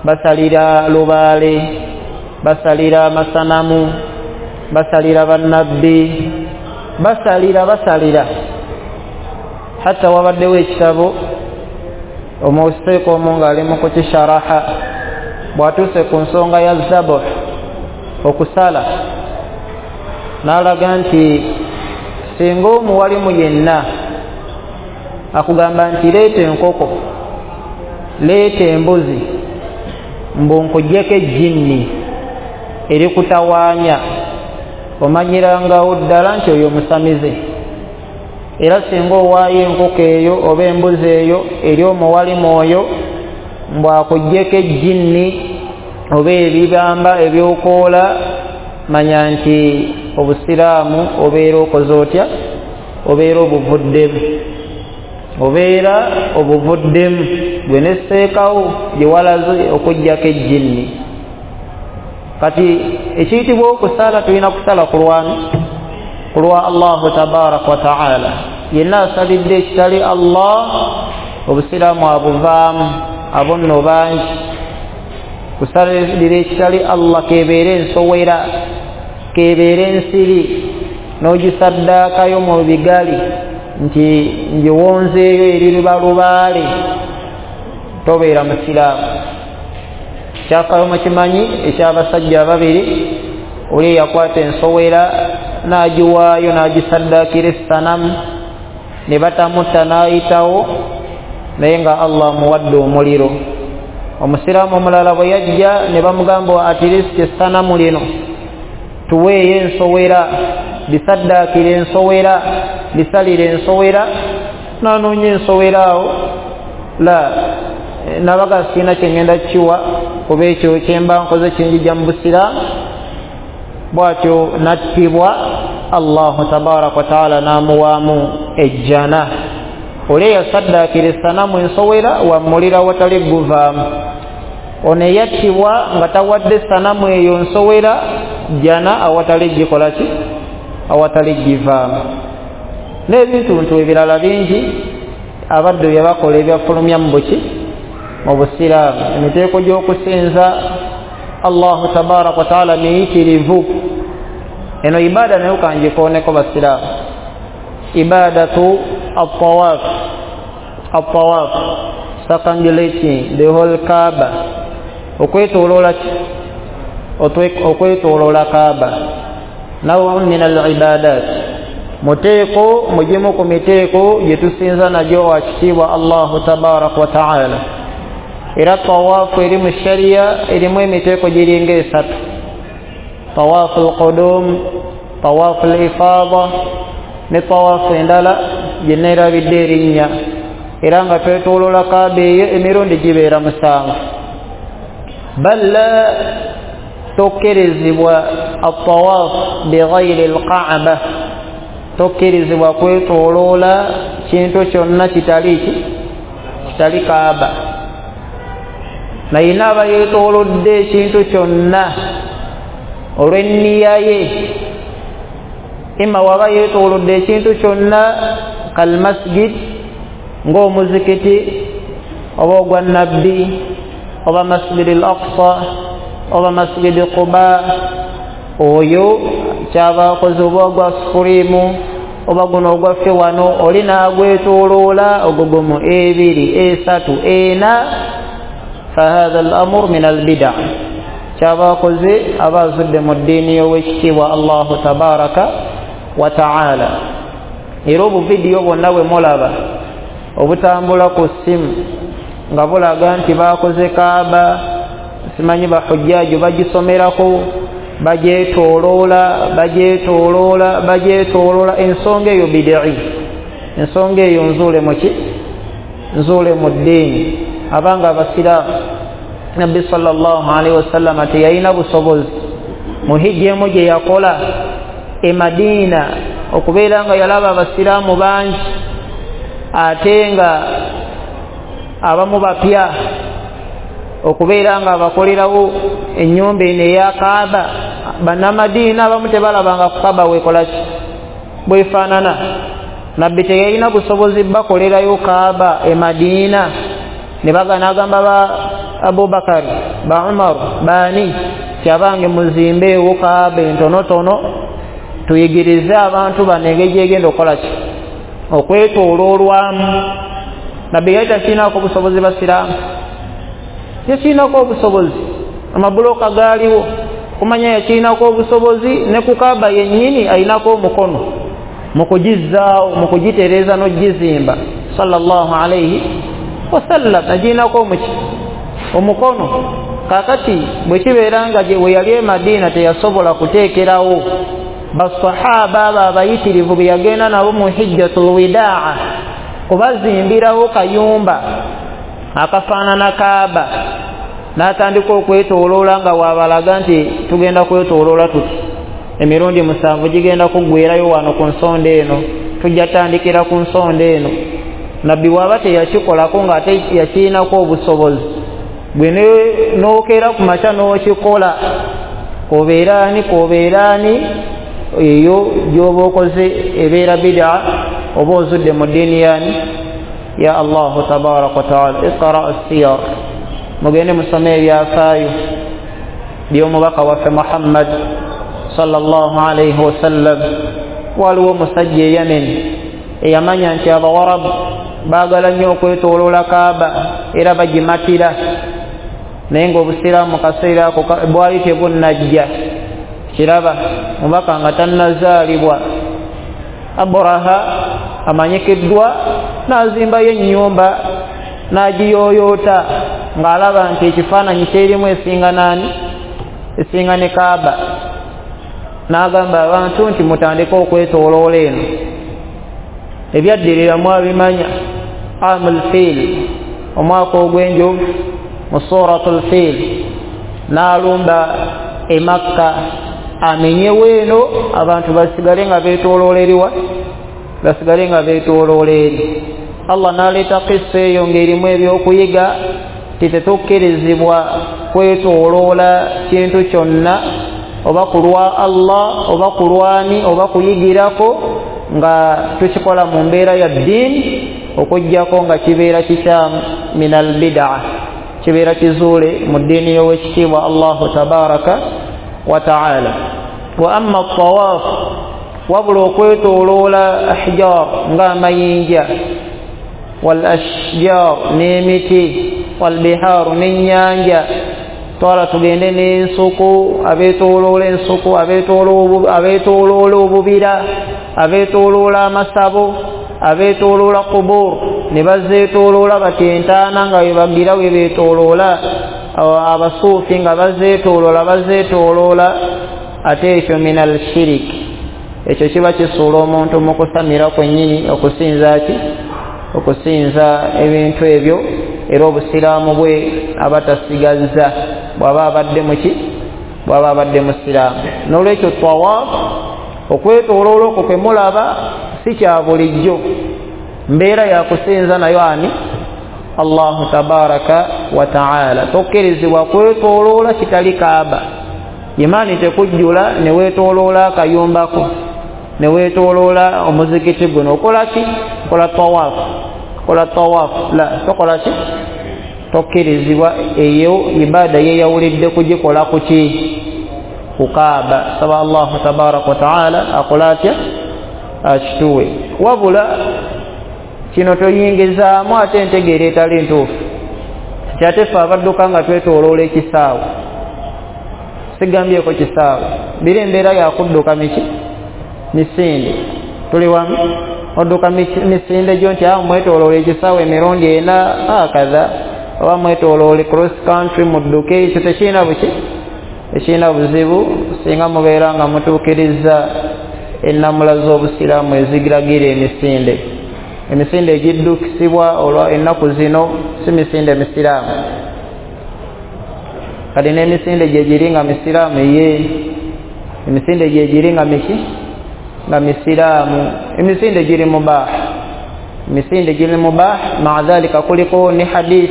[SPEAKER 1] basalira lubaale, basalira amasanamu, basalira bannabbi, basalira basalira. Hatta wabaddewo ekitabo omuseeko omu ng'ali mu kukisharaha, bw'atuuse ku nsonga ya zabuh, okusala, n'alaga nti singa omuwalimu yenna akugamba nti leeta enkoko, leeta embuzi, mbu nkuggyeko ejjinni erikutawaanya, omanyirangawo ddala nti oyo musamize. Era singa owaayo enkoko eyo oba embuzi eyo eri omuwalimu oyo, mbu akuggyeko ejjinni oba ebibamba ebyokoola, manya nti obusiraamu obeera okoze otya? Obeera obuvuddemu, obeera obuvuddemu gwe nesseekawo gye walaze okuggyako ejjinni. Kati ekiyitibwa okusala, tulina kusala ku lwani? Ku lwa Allahu tabaraka wa taala. Yenna asalidde ekitali Allah, obusiraamu abuvaamu, abo nno bangi. Kusalira ekitali Allah, kebeere ensowera, kebeere ensiri, n'ogisaddaakayo mu bigali nti ngiwonzeeyo eri lubalubaale, tobeera musiraamu. Kyafaayo mukimanyi eky'abasajja ababiri, oli eyakwata ensowera n'agiwaayo n'agisaddaakira essanamu, ne batamutta n'ayitawo, naye nga Allah amuwadde omuliro. Omusiraamu omulala bwe yajja ne bamugamba atirisiti essanamu lino tuweeyo ensowera, bisaddaakira ensowera, bisalira ensowera, n'anoonya ensowera awo, la nabaga sirina kye ngenda kiwa kuba ekyo kyemba nkoze kinjija mu busiraamu. Bw'atyo n'attibwa, Allahu tabaraka wa taala n'amuwaamu ejjana. Oli eyasaddaakira essanamu ensowera wamulira watali guvaamu, ono eyattibwa nga tawadde essanamu eyo nsowera, jjana awatali gikola ki? Awatali givaamu. N'ebintuntu ebirala bingi abaddu bye bakola ebyafulumya mu buki? Mu busiraamu. Emiteeko gy'okusinza Allahu tabaraka wa taala miyitirivu. Eno ibada nayo kanjikooneko basiraamu, ibadatu at-tawaf, at-tawaf, circumambulating the whole Kaaba, okwetooloola ki? Okwetooloola Kaaba nawun min al-ibadat, muteeko mugimu ku miteeko gye tusinza nagyo wakitiibwa Allahu tabaraka wa taala. Era tawaafu eri mu sharia erimu emiteeko giringa esatu: tawaafu al-qudum, tawaafu al-ifada ne tawaafu endala gye neerabidde erinnya. Era nga twetooloola Kaaba eyo emirundi gibeera musanvu. Bal tokkirizibwa at-tawaaf bighayri al-Kaaba, tokkirizibwa kwetooloola kintu kyonna kitali ki kitali Kaaba. Naye naaba yeetoolodde ekintu kyonna olw'enniya ye, ima waba yeetoolodde ekintu kyonna kalmasjid ng'omuzikiti oba ogwa Nabbi oba Masjid al-Aqsa oba Masjid Quba, oyo kyaba akoze oba ogwa Sufurimu oba guno ogwaffe wano, oli n'agwetooloola ogwo gumu ebiri esatu ena, fahadha al-amur min al-bida, kyaba akoze aba azudde mu ddiini y'owekitiibwa Allahu tabaraka wa taala. Era obuvidiyo bwonna bwe mulaba obutambula ku ssimu nga bulaga nti bakoze Kaaba, simanyi bahujjaju bagisomerako, bagyetooloola bagyetooloola bagyetooloola, ensonga eyo bid'i, ensonga eyo nzuule muki nzuule mu ddiini. Abanga abasiraamu Nabbi sallallahu alaihi wasallam teyalina busobozi mu hijja emu gye yakola e Madiina okubeera nga yalaba abasiraamu bangi ate nga abamu bapya, okubeera nga abakolerawo ennyumba eno eya Kaaba. Bannamadiina abamu tebalabanga ku Kaaba weekola ki bwefaanana. Nabbi teyalina busobozi bakolerayo Kaaba e Madiina, ne bagana agamba ba Abubakari ba Umar baani ti abange muzimbeewo Kaaba entonotono tuyigirize abantu bano engeri gyegenda okukola ki okwetooloolwamu. Nabbi yali takirinako obusobozi basiraamu, yakirinako obusobozi, amabuloka gaaliwo kumanya yakirinako obusobozi, ne ku Kaaba yennyini alinako omukono mu kugizzaawo mu kugitereeza n'ogizimba sallallahu alaihi wasallam, agirinako omuki omukono. Kaakati bwe kibeera nga we yali e Madiina teyasobola kuteekerawo basahaba abo abayitirivu be yagenda nabo mu hijjatul widaa kubazimbirawo kayumba akafaanana Kaaba, n'atandika okwetooloola nga waabalaga nti tugenda kwetooloola tuti emirundi musanvu gigenda kuggwerayo wano ku nsonda eno, tujja tandikira ku nsonda eno. Nabbi bw'aba teyakikolako ng'ate yakirinako obusobozi, gwe n'okeera ku makya n'okikola, kobeera ani kobeera ani, eyo gy'oba okoze ebeera bid'a, oba ozudde mu ddiini yani ya Allahu tabaraka wa taala. Iqra as-siyar, mugende musome ebyafaayo by'omubaka waffe Muhammad sallallahu alaihi wasallam. Waliwo omusajja e Yemen eyamanya nti abawarabu baagala nnyo okwetooloola Kaaba era bagimatira, naye ng'obusiraamu mu kaseera ako bwali tebunnajja. Kiraba mubaka nga tannazaalibwa, Abraha amanyikiddwa n'azimbayo ennyumba n'agiyooyoota ng'alaba nti ekifaananyi kyerimu esinga naani esinga ne Kaaba, n'agamba abantu nti mutandike okwetooloola eno. Ebyaddirira mwabimanya, amul fiil, omwaka ogw'enjovu mu suratul fiil, n'alumba e Makka amenyewo eno abantu basigale nga beetooloola eriwa basigale nga beetooloola eri. Allah n'aleeta kissa eyo ng'erimu ebyokuyiga ti tetukkirizibwa kwetooloola kintu kyonna oba ku lwa Allah oba ku lwani oba kuyigirako nga tukikola mu mbeera ya ddiini, okuggyako nga kibeera kikyamu min al-bid'a, kibeera kizuule mu ddiini y'owekitiibwa Allahu tabaraka wa taala. Wa amma at-tawaaf, wabula okwetooloola ahjar ng'amayinja, wal ashjar n'emiti, wal bihaaru n'ennyanja, Twala tugende n'ensuku, abeetooloola ensuku, abeetooloola obubira, abeetooloola amasabo, abeetooloola kubur, ne bazeetooloola bati entaana nga we bagira we beetooloola, abasuufi nga bazeetooloola bazeetooloola. Ate ekyo minal shiriki, ekyo kiba kisuula omuntu mu kusamira kwennyini, okusinza ki? Okusinza ebintu ebyo. Era obusiraamu bwe aba tasigazza bw'aba abadde muki, bw'aba abadde musiraamu. N'olwekyo tawaafu, okwetooloola okwo kwe mulaba si kya bulijjo, mbeera ya kusinza nayo ani? Allahu tabaraka wa taala. Tokkirizibwa kwetooloola kitali Kaaba. Imaani tekujjula ne weetooloola akayumbako, ne weetooloola omuzikiti guno. Okola ki? Okola tawaafu. Okola tawaafu. La, tokola ki? Tokkirizibwa. Eyo ibada yeyawulidde kugikola ku ki? Ku Kaaba. Saba Allahu tabaraka wa taala akola atya? Akituwe. Wabula kino toyingizaamu ate entegeera etali ntuufu. Kyate ffe abadduka nga twetooloola ekisaawe, sigambyeko kisaawe, biri embeera yakudduka miki? Misinde. Tuli wamu? Odduka misinde gyo nti awo mwetooloola ekisaawe emirundi ena akadha, oba mwetooloole cross country mudduke, ekyo tekirina buki? Tekirina buzibu singa mubeera nga mutuukiriza ennamula z'obusiraamu ezigiragira emisinde. Emisinde egiddukisibwa olwa ennaku zino si misinde misiraamu. Kati n'emisinde gye giri nga misiraamu, ye emisinde gye giri nga miki? Nga misiraamu. Emisinde giri mubah, emisinde giri mubah. Maa dhalika kuliko ne hadith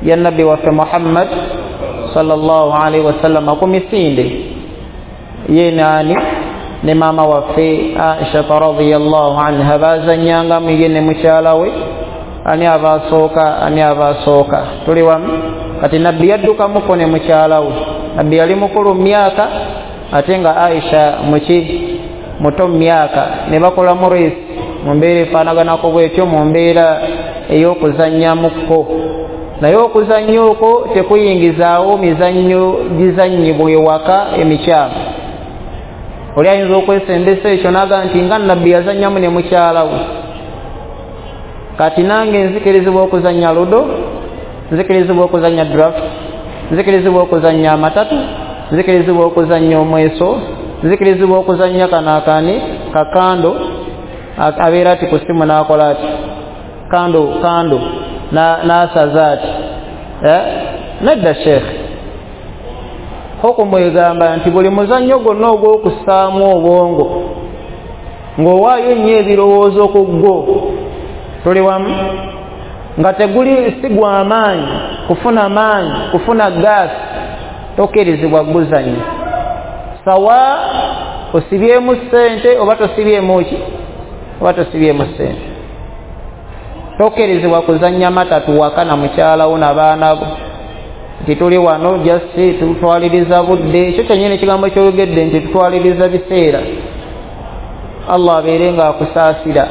[SPEAKER 1] ya nabbi waffe Muhammad sallallahu alaihi wasallam ku misinde ye nani ne maama waffe Aisha radhiyallahu anha, bazannyangamu ye ne mukyala we, ani abasooka ani abasooka. Tuli wamu? Kati nabbi yaddukamuko ne mukyala we. Nabbi yali mukulu mu myaka, ate nga Aisha muki? Muto mu myaka. Ne bakolamu race mu mbeera efaanaganako bwetyo, mu mbeera ey'okuzannyamuko. Naye okuzannya okwo tekuyingizaawo mizannyo gizannyibwa ewaka emikyamu. Oli ayinza okwesembesa ekyo n'agamba nti nga nabbi yazannyamu ne mukyala we, kati nange nzikirizibwa okuzannya ludo, nzikirizibwa okuzannya draft, nzikirizibwa okuzannya amatatu, nzikirizibwa okuzannya omweso, nzikirizibwa okuzannya kano akani kakando, abeera ati ku ssimu n'akola ati kando kando n'asaza ati. Nedda sheekh, hukumu egamba nti buli muzannyo gwonna ogw'okussaamu obwongo ng'owaayo nnyo ebirowoozo ku gwo, tuli wamu, nga teguli si gwa maanyi kufuna maanyi kufuna gaasi, tokkirizibwa guzannya. Sawa osibyemu ssente oba tosibyemu ki? Oba tosibyemu ssente. Tokkirizibwa kuzannya matatu waka na mukyala wo n'abaana bo nti tuli wano just tutwaliriza budde. Ekyo kyennyini ekigambo ky'oyogedde nti tutwaliriza biseera. Allah abeere nga akusaasira,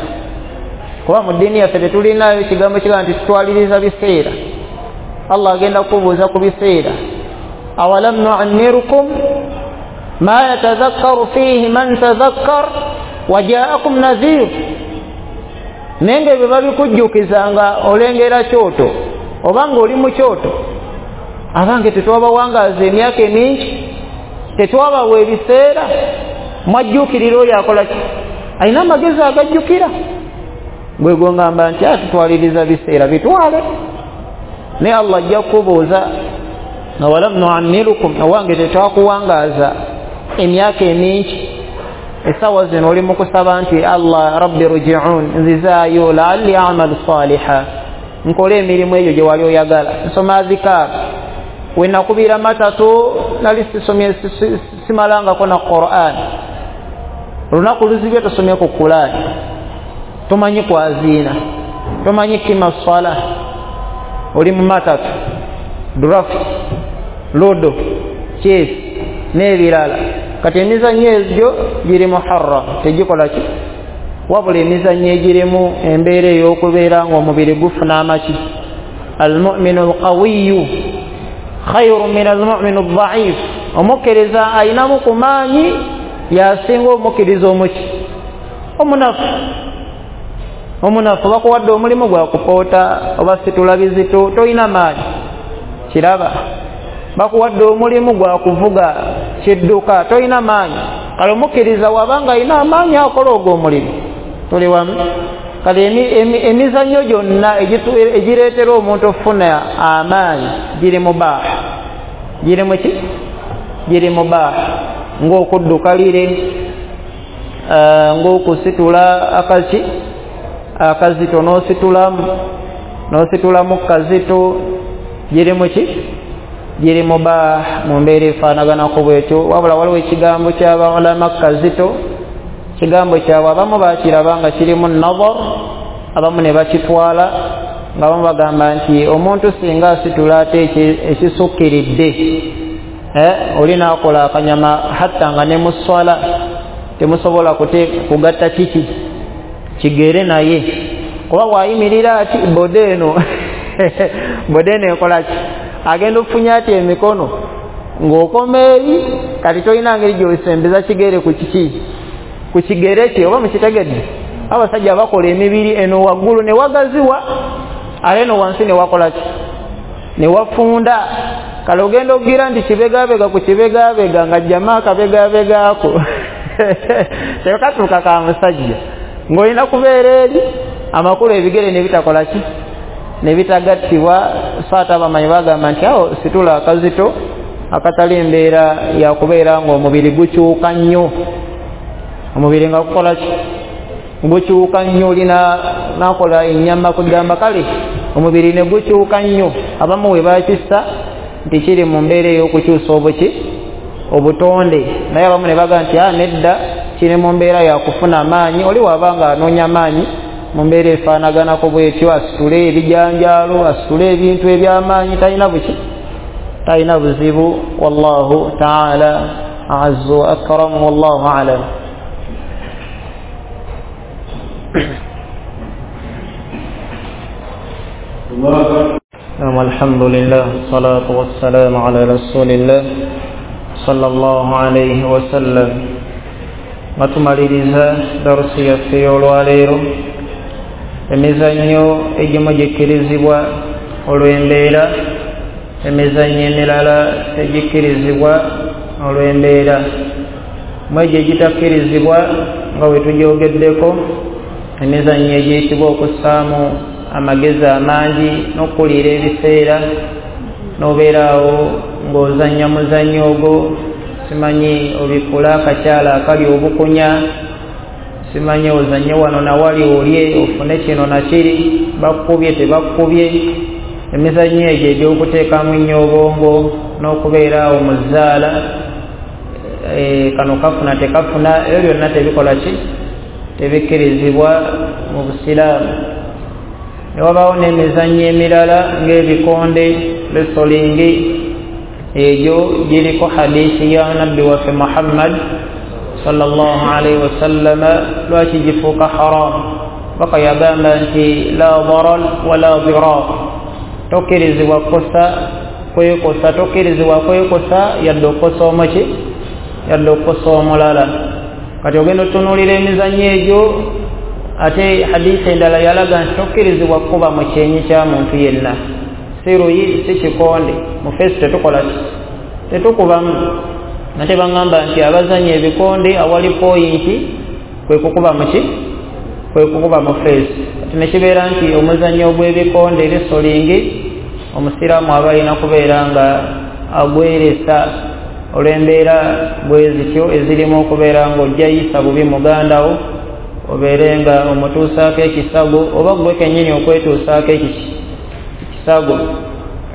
[SPEAKER 1] kuba mu ddiini yaffe tetulinaayo ekigambo kigamba nti tutwaliriza biseera. Allah agenda kukubuuza ku biseera. Awalam nu'ammirukum ma yatadhakkaru fihi man tadhakkar wajaakum nadhir. Naye nga ebyo babikujjukiza nga olengera kyoto oba nga oli mu kyoto. Abange tetwabawangaaza emyaka emingi, tetwabawa ebiseera, mwajjuukirira oyo akola ki? Alina amagezi agajjukira. Gwe gongamba nti atutwaliriza biseera, bitwale. Naye Allah ajja kukubuuza awalam nu'ammirukum, owange tetwakuwangaaza emyaka emingi, essaawa zino oli mu kusaba nti Allah rabbi ruji'un, nzizaayo la'alli a'malu saliha, nkole emirimu egyo gye wali oyagala, nsoma azikaar, we nakubira matatu nali sisomye simalangako na Qur'an, lunaku luzibye tosomye ku Qur'an, tomanyi kwaziina, tomanyi kima swala, oli mu matatu, draft, ludo, chess n'ebirala. Kati emizannyo egyo giri muharram, tegikola ki? Wabula emizannyo egirimu embeera ey'okubeera ng'omubiri gufuna amaki. Almuminu alqawiyu, Khairu min almu'min adh-dha'if, omukkiriza ayinamu ku maanyi yasinga omukkiriza omuki omunafu. Omunafu bakuwadde omulimu gwa kupoota oba situla bizito, toyina maanyi, kiraba. Bakuwadde omulimu gwa kuvuga kidduka, toyina maanyi. Kale omukkiriza wabanga ayina amaanyi akola ogwo omulimu. Tuli wamu? Kale emizannyo gyonna egireetera omuntu okufuna amaanyi giri mubaaha, giri muki giri mubaaha, ng'okudduka lire, ng'okusitula akaki akazito n'ositulamu n'ositulamu kazito, giri muki giri mubaaha mu mbeera efaanaganako bwetyo. Wabula waliwo ekigambo ky'abaulama kazito, kigambo kyabwe abamu bakiraba nga kirimu nazar, abamu ne bakitwala nga abamu bagamba nti omuntu singa asitula ate ekisukkiridde oli n'akola akanyama hatta nga ne mu sswala temusobola kugatta kiki kigere naye, kuba bw'ayimirira ati bode eno bode eno ekola ki, agenda okufunya ati emikono ng'okoma eri, kati tolina ngeri gy'osembeza kigere ku kiki ku kigere kye, oba mukitegedde. Abasajja bakola emibiri eno waggulu ne wagaziwa, ate eno wansi ne wakola ki ne wafunda. Kale ogenda okugira nti kibegabega ku kibegabega nga jjama akabegabegaako tekatuuka ka musajja, ng'olina kubeera eri amakulu ebigere ne bitakola ki ne bitagattibwa. So ate abamanyi bagamba nti awo situla akazito akatali embeera yakubeera ng'omubiri gukyuka nnyo, omubiri nga gukola ki gukyuka nnyo, olina nakola ennyama kugamba kale omubiri ne gukyuka nnyo. Abamu we bakissa nti kiri mu mbeera ey'okukyusa obuki obutonde, naye abamu ne bagamba nti a nedda, kiri mu mbeera yakufuna amaanyi. Oli waba nga anoonya amaanyi mu mbeera efaanaganako bwetyo, asitule ebijanjaalo, asitule ebintu eby'amaanyi, talina buki talina buzibu. Wallahu taala azzu wa akram, wallahu alam. الحمد لله والصلاة والسلام على رسول الله صلى الله عليه وسلم. Batumaliriza darusi yaffe y'olwaleero. Emizannyo egimu gikkirizibwa olw'embeera, emizannyo emirala tegikkirizibwa olw'embeera. Mu egyo egitakkirizibwa nga bwe tugyogeddeko, emizannyo egiyitibwa okussaamu amagezi amangi n'okuliira ebiseera, n'obeeraawo ng'ozannya muzannyo ogwo, simanyi obikula akakyala akali obukunya, simanyi ozannye wano nawali olye ofune kino nakiri, bakkubye tebakkubye. Emizannyo egyo egy'okuteekamu ennyo obwongo n'okubeera awo mu zzaala, e, kano kafuna tekafuna, ebyo byonna tebikola ki tebikkirizibwa mu Busiraamu. Ne wabaawo n'emizannyo emirala ng'ebikonde, wrestling, egyo giriko hadisi ya nabbi waffe Muhammad sallallahu alaihi wasallam. Lwaki gifuuka haram? Baka yagamba nti la darar wala dirar, tokkirizibwa kukosa kwekosa, tokkirizibwa kwekosa yadde okukosa omuki yadde okukosa omulala. Kati ogenda otunuulira emizannyo egyo, ate hadisi endala yalaga nti tokkirizibwa kukuba mu kyenyi kya muntu yenna, si luyi si kikonde, mu feesi tetukola ki tetukubamu. Ate baŋŋamba nti abazannya ebikonde awali poyinti kwe kukuba muki kwe kukuba mu feesi. Kati ne kibeera nti omuzannyo ogw'ebikonde wrestling omusiraamu aba alina kubeera nga agweresa olw'embeera bwe zityo ezirimu okubeera ng'ojja yisa bubi mugandawo, obeere nga omutuusaako ekisago oba gwe kennyini okwetuusaako ekiki ekisago.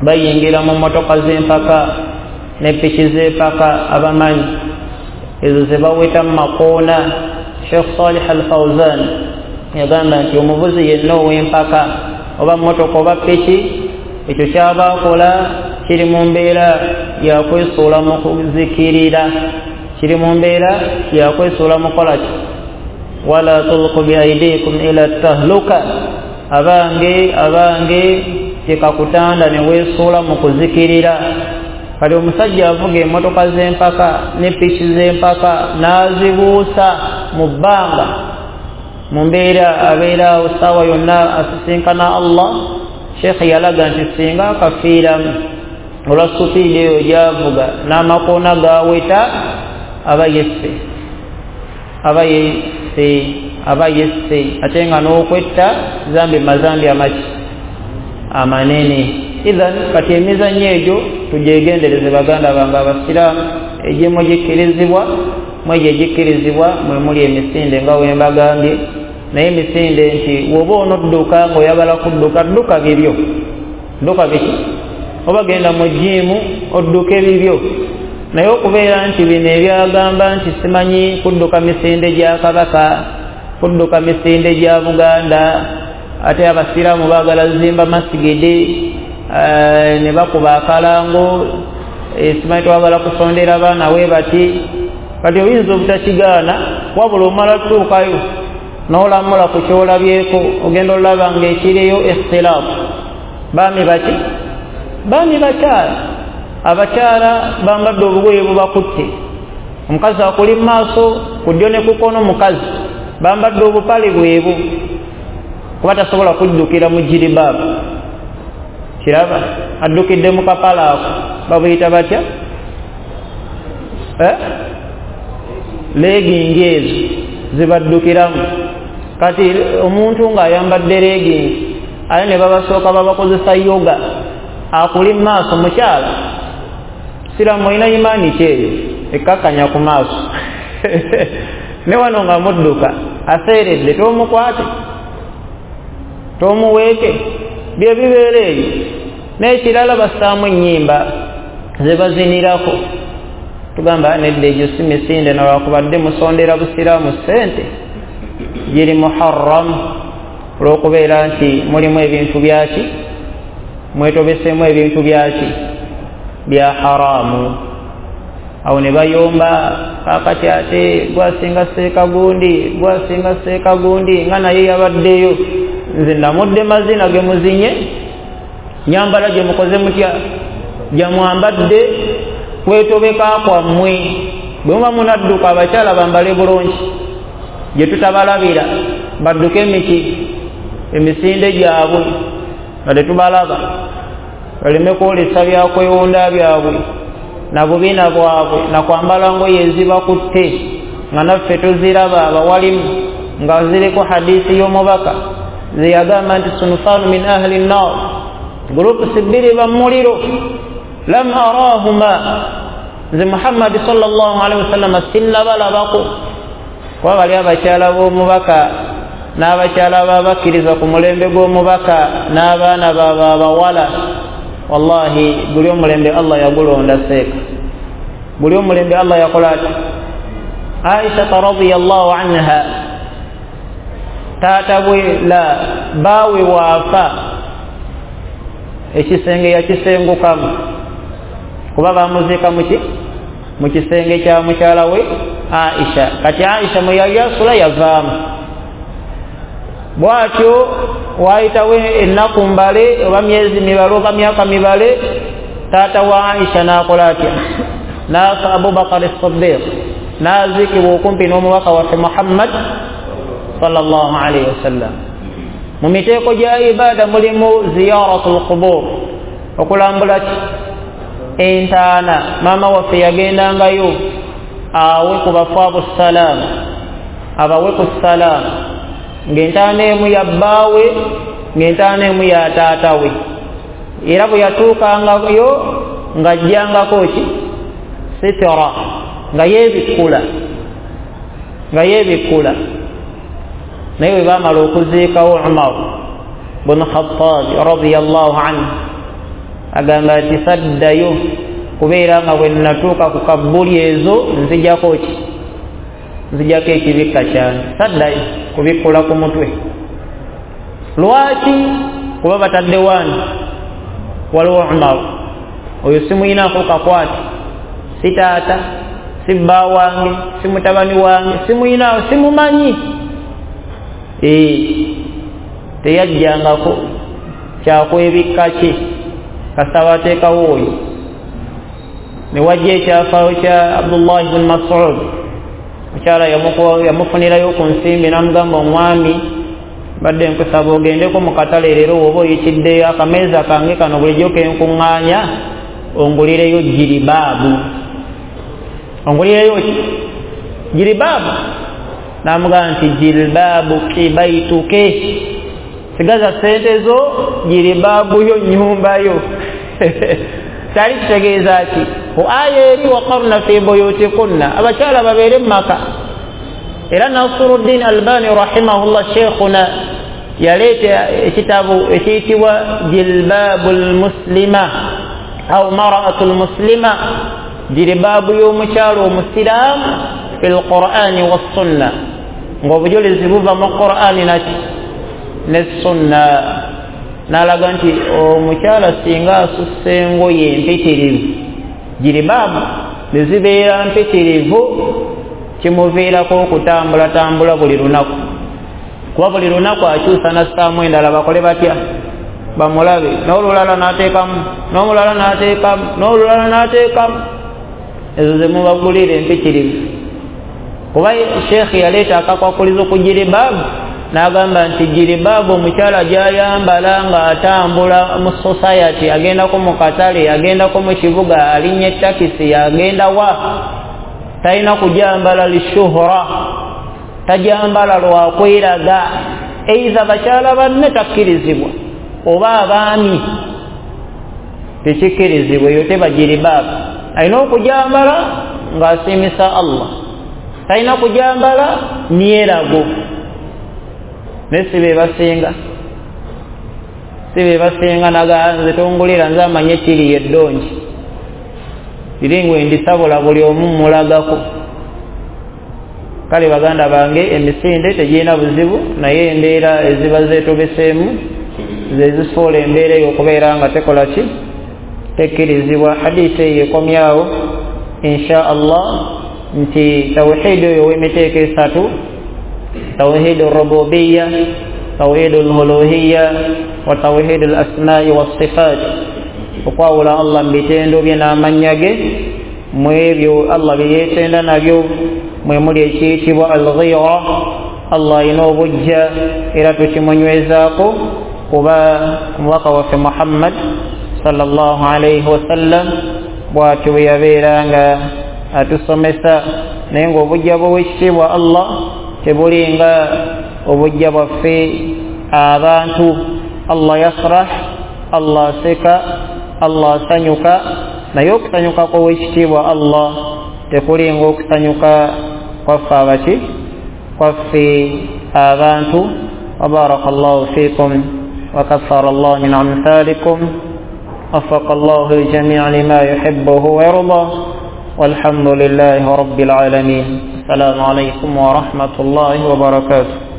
[SPEAKER 1] Bayingira mu mmotoka z'empaka ne piki z'empaka, abamanyi ezo ze baweta mu makoona. Sheikh Salih Al Fawzan yagamba nti omuvuzi yenna ow'empaka oba mmotoka oba piki, ekyo kyaba akola kiri mu mbeera yakwesuula mu kuzikirira, kiri mu mbeera yakwesuula mu kukola ki wala tulqu biaidikum ila tahluka, abange abange Tekakutanda ne weesuula mu kuzikirira. Kati omusajja avuga emmotoka z'empaka ne piki z'empaka n'azibuusa mu bbanga, mu mbeera abeera awo ssaawa yonna asisinkana Allah. Sheekhe yalaga nti singa akafiiramu olwa supiidi eyo gy'avuga n'amakoona gaweta, aba yesse, aba yesse, aba yesse. Ate nga n'okwetta zambi mazambi amaki amanene. Idhan kati emizannyo egyo tugyegendereze baganda bange abasiraamu, egimu gikkirizibwa, mwegyo egikkirizibwa mwe muli emisinde nga we mbagambye. Naye emisinde nti bw'oba onodduka ng'oyagala kudduka, dduka bibyo, dduka biki, oba genda mu jiimu odduke bibyo. Naye okubeera nti bino ebyagamba nti simanyi kudduka misinde gya Kabaka, kudduka misinde gya Buganda, ate abasiraamu baagala zimba masigidi, ne bakuba akalango, simanyi twagala kusondera baana we bati. Kati oyinza obutakigaana, wabula omala tutuukayo n'olamula ku kyolabyeko, ogenda olaba ng'ekiriyo ikhtilaafu. Baami baki? Baami bakyala. Abakyala bambadde obugoye bubakutte, omukazi akuli mu maaso, ku ddyo ne ku kkono mukazi, bambadde obupale bwebu kuba tasobola kuddukira mu jiribaabu. Kiraba addukidde mu kapala ako, babuyita batya? Eh? Legingi ezo zibaddukiramu. Kati omuntu ng'ayambadde legingi aye ne babasooka babakozesa yoga, akuli mu maaso mukyala. Siraamu olina imaani ki eyo ekkakkanya ku maaso? Ne wano nga mudduka aseeredde, tomukwate, tomuweeke, bye bibeera eyo. N'ekirala bassaamu ennyimba ze bazinirako, tugamba nedda egyo si misinde, nalwakubadde musondera busiraamu ssente, giri muharram olw'okubeera nti mulimu ebintu byaki, mwetobeseemu ebintu byaki bya haramu. Awo ne bayomba kaakati ate gwasinga seekagundi, gwasinga seekagundi, nga naye yabaddeyo. Nze namudde mazina ge muzinye, nyambala gye mukoze mutya, gyamwambadde kwetobeka kwammwe. Bwe muba munadduka abakyala bambale bulungi, gye tutabalabira badduke emiki emisinde gyabwe nga tetubalaba, baleme kwolesa byakwewunda byabwe na bubina bwabwe na kwambala ngoye ezibakutte, nga naffe tuziraba abawalimu nga ziriko hadisi y'omubaka zeyagamba nti sunufanu min ahli nnar, gurupusi bbiri bamuliro, lam arahuma, nze Muhammadi sallallahu alaihi wasallam sinnabalabako. Kuba bali abakyala b'omubaka n'abakyala b'abakkiriza ku mulembe gw'omubaka n'abaana baabwe abawala, wallahi guli omulembe Allah yagulonda seeka, guli omulembe Allah yakola ati. Aisha radhiyallahu anha taata bwe la baawe waafa, ekisenge yakisengukamu, kuba bamuziika muki mu kisenge kya mukyala we Aisha. Kati Aisha mwe yali asula yavaamu bwatyo, waayitawo ennaku mbale oba myezi mibale oba myaka mibale, taata wa Aisha n'akola atya? N'afa Abubakar as-Siddiq, n'aziikibwa okumpi n'omubaka waffe Muhammad sallallahu alaihi wasallam. Mu miteeko gya ibaada mulimu ziyaratul qubur, okulambula ki entaana. Maama waffe yagendangayo awe ku bafu abo salaamu, abawe ku salaamu, ng'entaana emu ya bbaawe, ng'entaana emu ya taata we. Era bwe yatuukangayo ng'ajjangako ki sitira, nga yeebikkula, nga yeebikkula. Naye bwe baamala okuziikawo Umar bun Khattab radiyallahu anhu, agamba nti saddayo kubeera nga bwe nnatuuka ku kabbuli ezo nzijako ki, nzijako ekibikka kyange, saddayo kubikkula ku mutwe. Lwaki? Kuba batadde wani waliwo Umar, oyo simuyinaako kakwate, si taata, si bba wange, si mutabani wange, simuyinaawo, simumanyi. Ee, teyajjangako, Kyakwebikka ki kasaba ateekawo oyo. Ne wajja ekyafaayo kya Abdullahi bun Mas'ud, mukyala yamufunirayo ku nsimbi n'amugamba, omwami badde nkusaba ogendeko mu katale leero woba oyitiddeyo akameeza kange kano bulijjo kenkuŋŋaanya ongulireyo jiribaabu. Ongulireyo ki? Jiribaabu. N'amugamba nti jilbaabu kibaituke, sigaza sente zo, jiribaabu yo nnyumba yo. Kyali kitegeeza ki? Ku aya eri waqarna fi buyutikunna, abakyala babeere mu maka. Era Nasiruddin Albani rahimahullah sheikhuna yaleeta ekitabo ekiyitibwa jilbaabul muslima au maraatul muslima, jilbaabu y'omukyala omusiraamu fil Qur'ani wassunna, ng'obujulizi buva mu Qur'ani naki ne sunna. N'alaga nti omukyala singa asussa engoye empitirivu, jiribaabu ne zibeera mpitirivu, kimuviirako okutambulatambula buli lunaku, kuba buli lunaku akyusa n'assaamu endala bakole batya bamulabe, n'olulala n'ateekamu, n'omulala n'ateekamu, n'olulala n'ateekamu, ezo ze mubagulira empitirivu. Kuba sheekhi yaleeta akakwakulizo ku jiribaabu n'agamba nti jiribaabu omukyala gy'ayambala ng'atambula mu society, agendako mu katale, agendako mu kibuga, alinnya ettakisi, agenda wa, talina kujambala lishuhura, tajambala lwakweraga, eiza bakyala banne takkirizibwa oba abaami tekikkirizibwa, eyo teba jiribaabu. Alina okujambala ng'asiimisa Allah, talina kujambala myerago. Naye si be basinga, si be basinga naga nze tongulira nze amanye kiri eddongi liringwe ndisabula buli omu mulagako. Kale baganda bange, emisinde tegirina buzibu, naye embeera eziba zeetobeseemu ze zifuula embeera eyo okubeera nga tekola ki, tekkirizibwa. Hadiisi eyo ekomyawo insha Allah nti tawhidi oyo ow'emiteeko esatu, tawhidi rububiya, tawhidi luluhiya wa tawhidi lasmai wassifat, okwawula Allah mu bitendo bye n'amannya ge, mu ebyo Allah bye yeetenda nabyo mwe muli ekiyitibwa alghira. Allah alina obujja era tukimunywezaako, kuba omubaka waffe Muhammad sallallahu alaihi wasallam bw'atyo bwe yabeera nga atusomesa. Naye ng'obujja bw'owekitiibwa Allah tebulinga obujja bwaffe abantu. Allah yasrah, Allah aseka, Allah asanyuka, naye okusanyuka kw'owekitiibwa Allah tekulinga okusanyuka kwaffe abaki kwaffe abantu. Wabaraka llahu fikum wa kaffara llahu min amthalikum, wafaqa llahu ljamia lima yuhibbuhu wa yardah, walhamdulillahi rabbil alamin. Assalamu alaikum warahmatullahi wabarakatuh.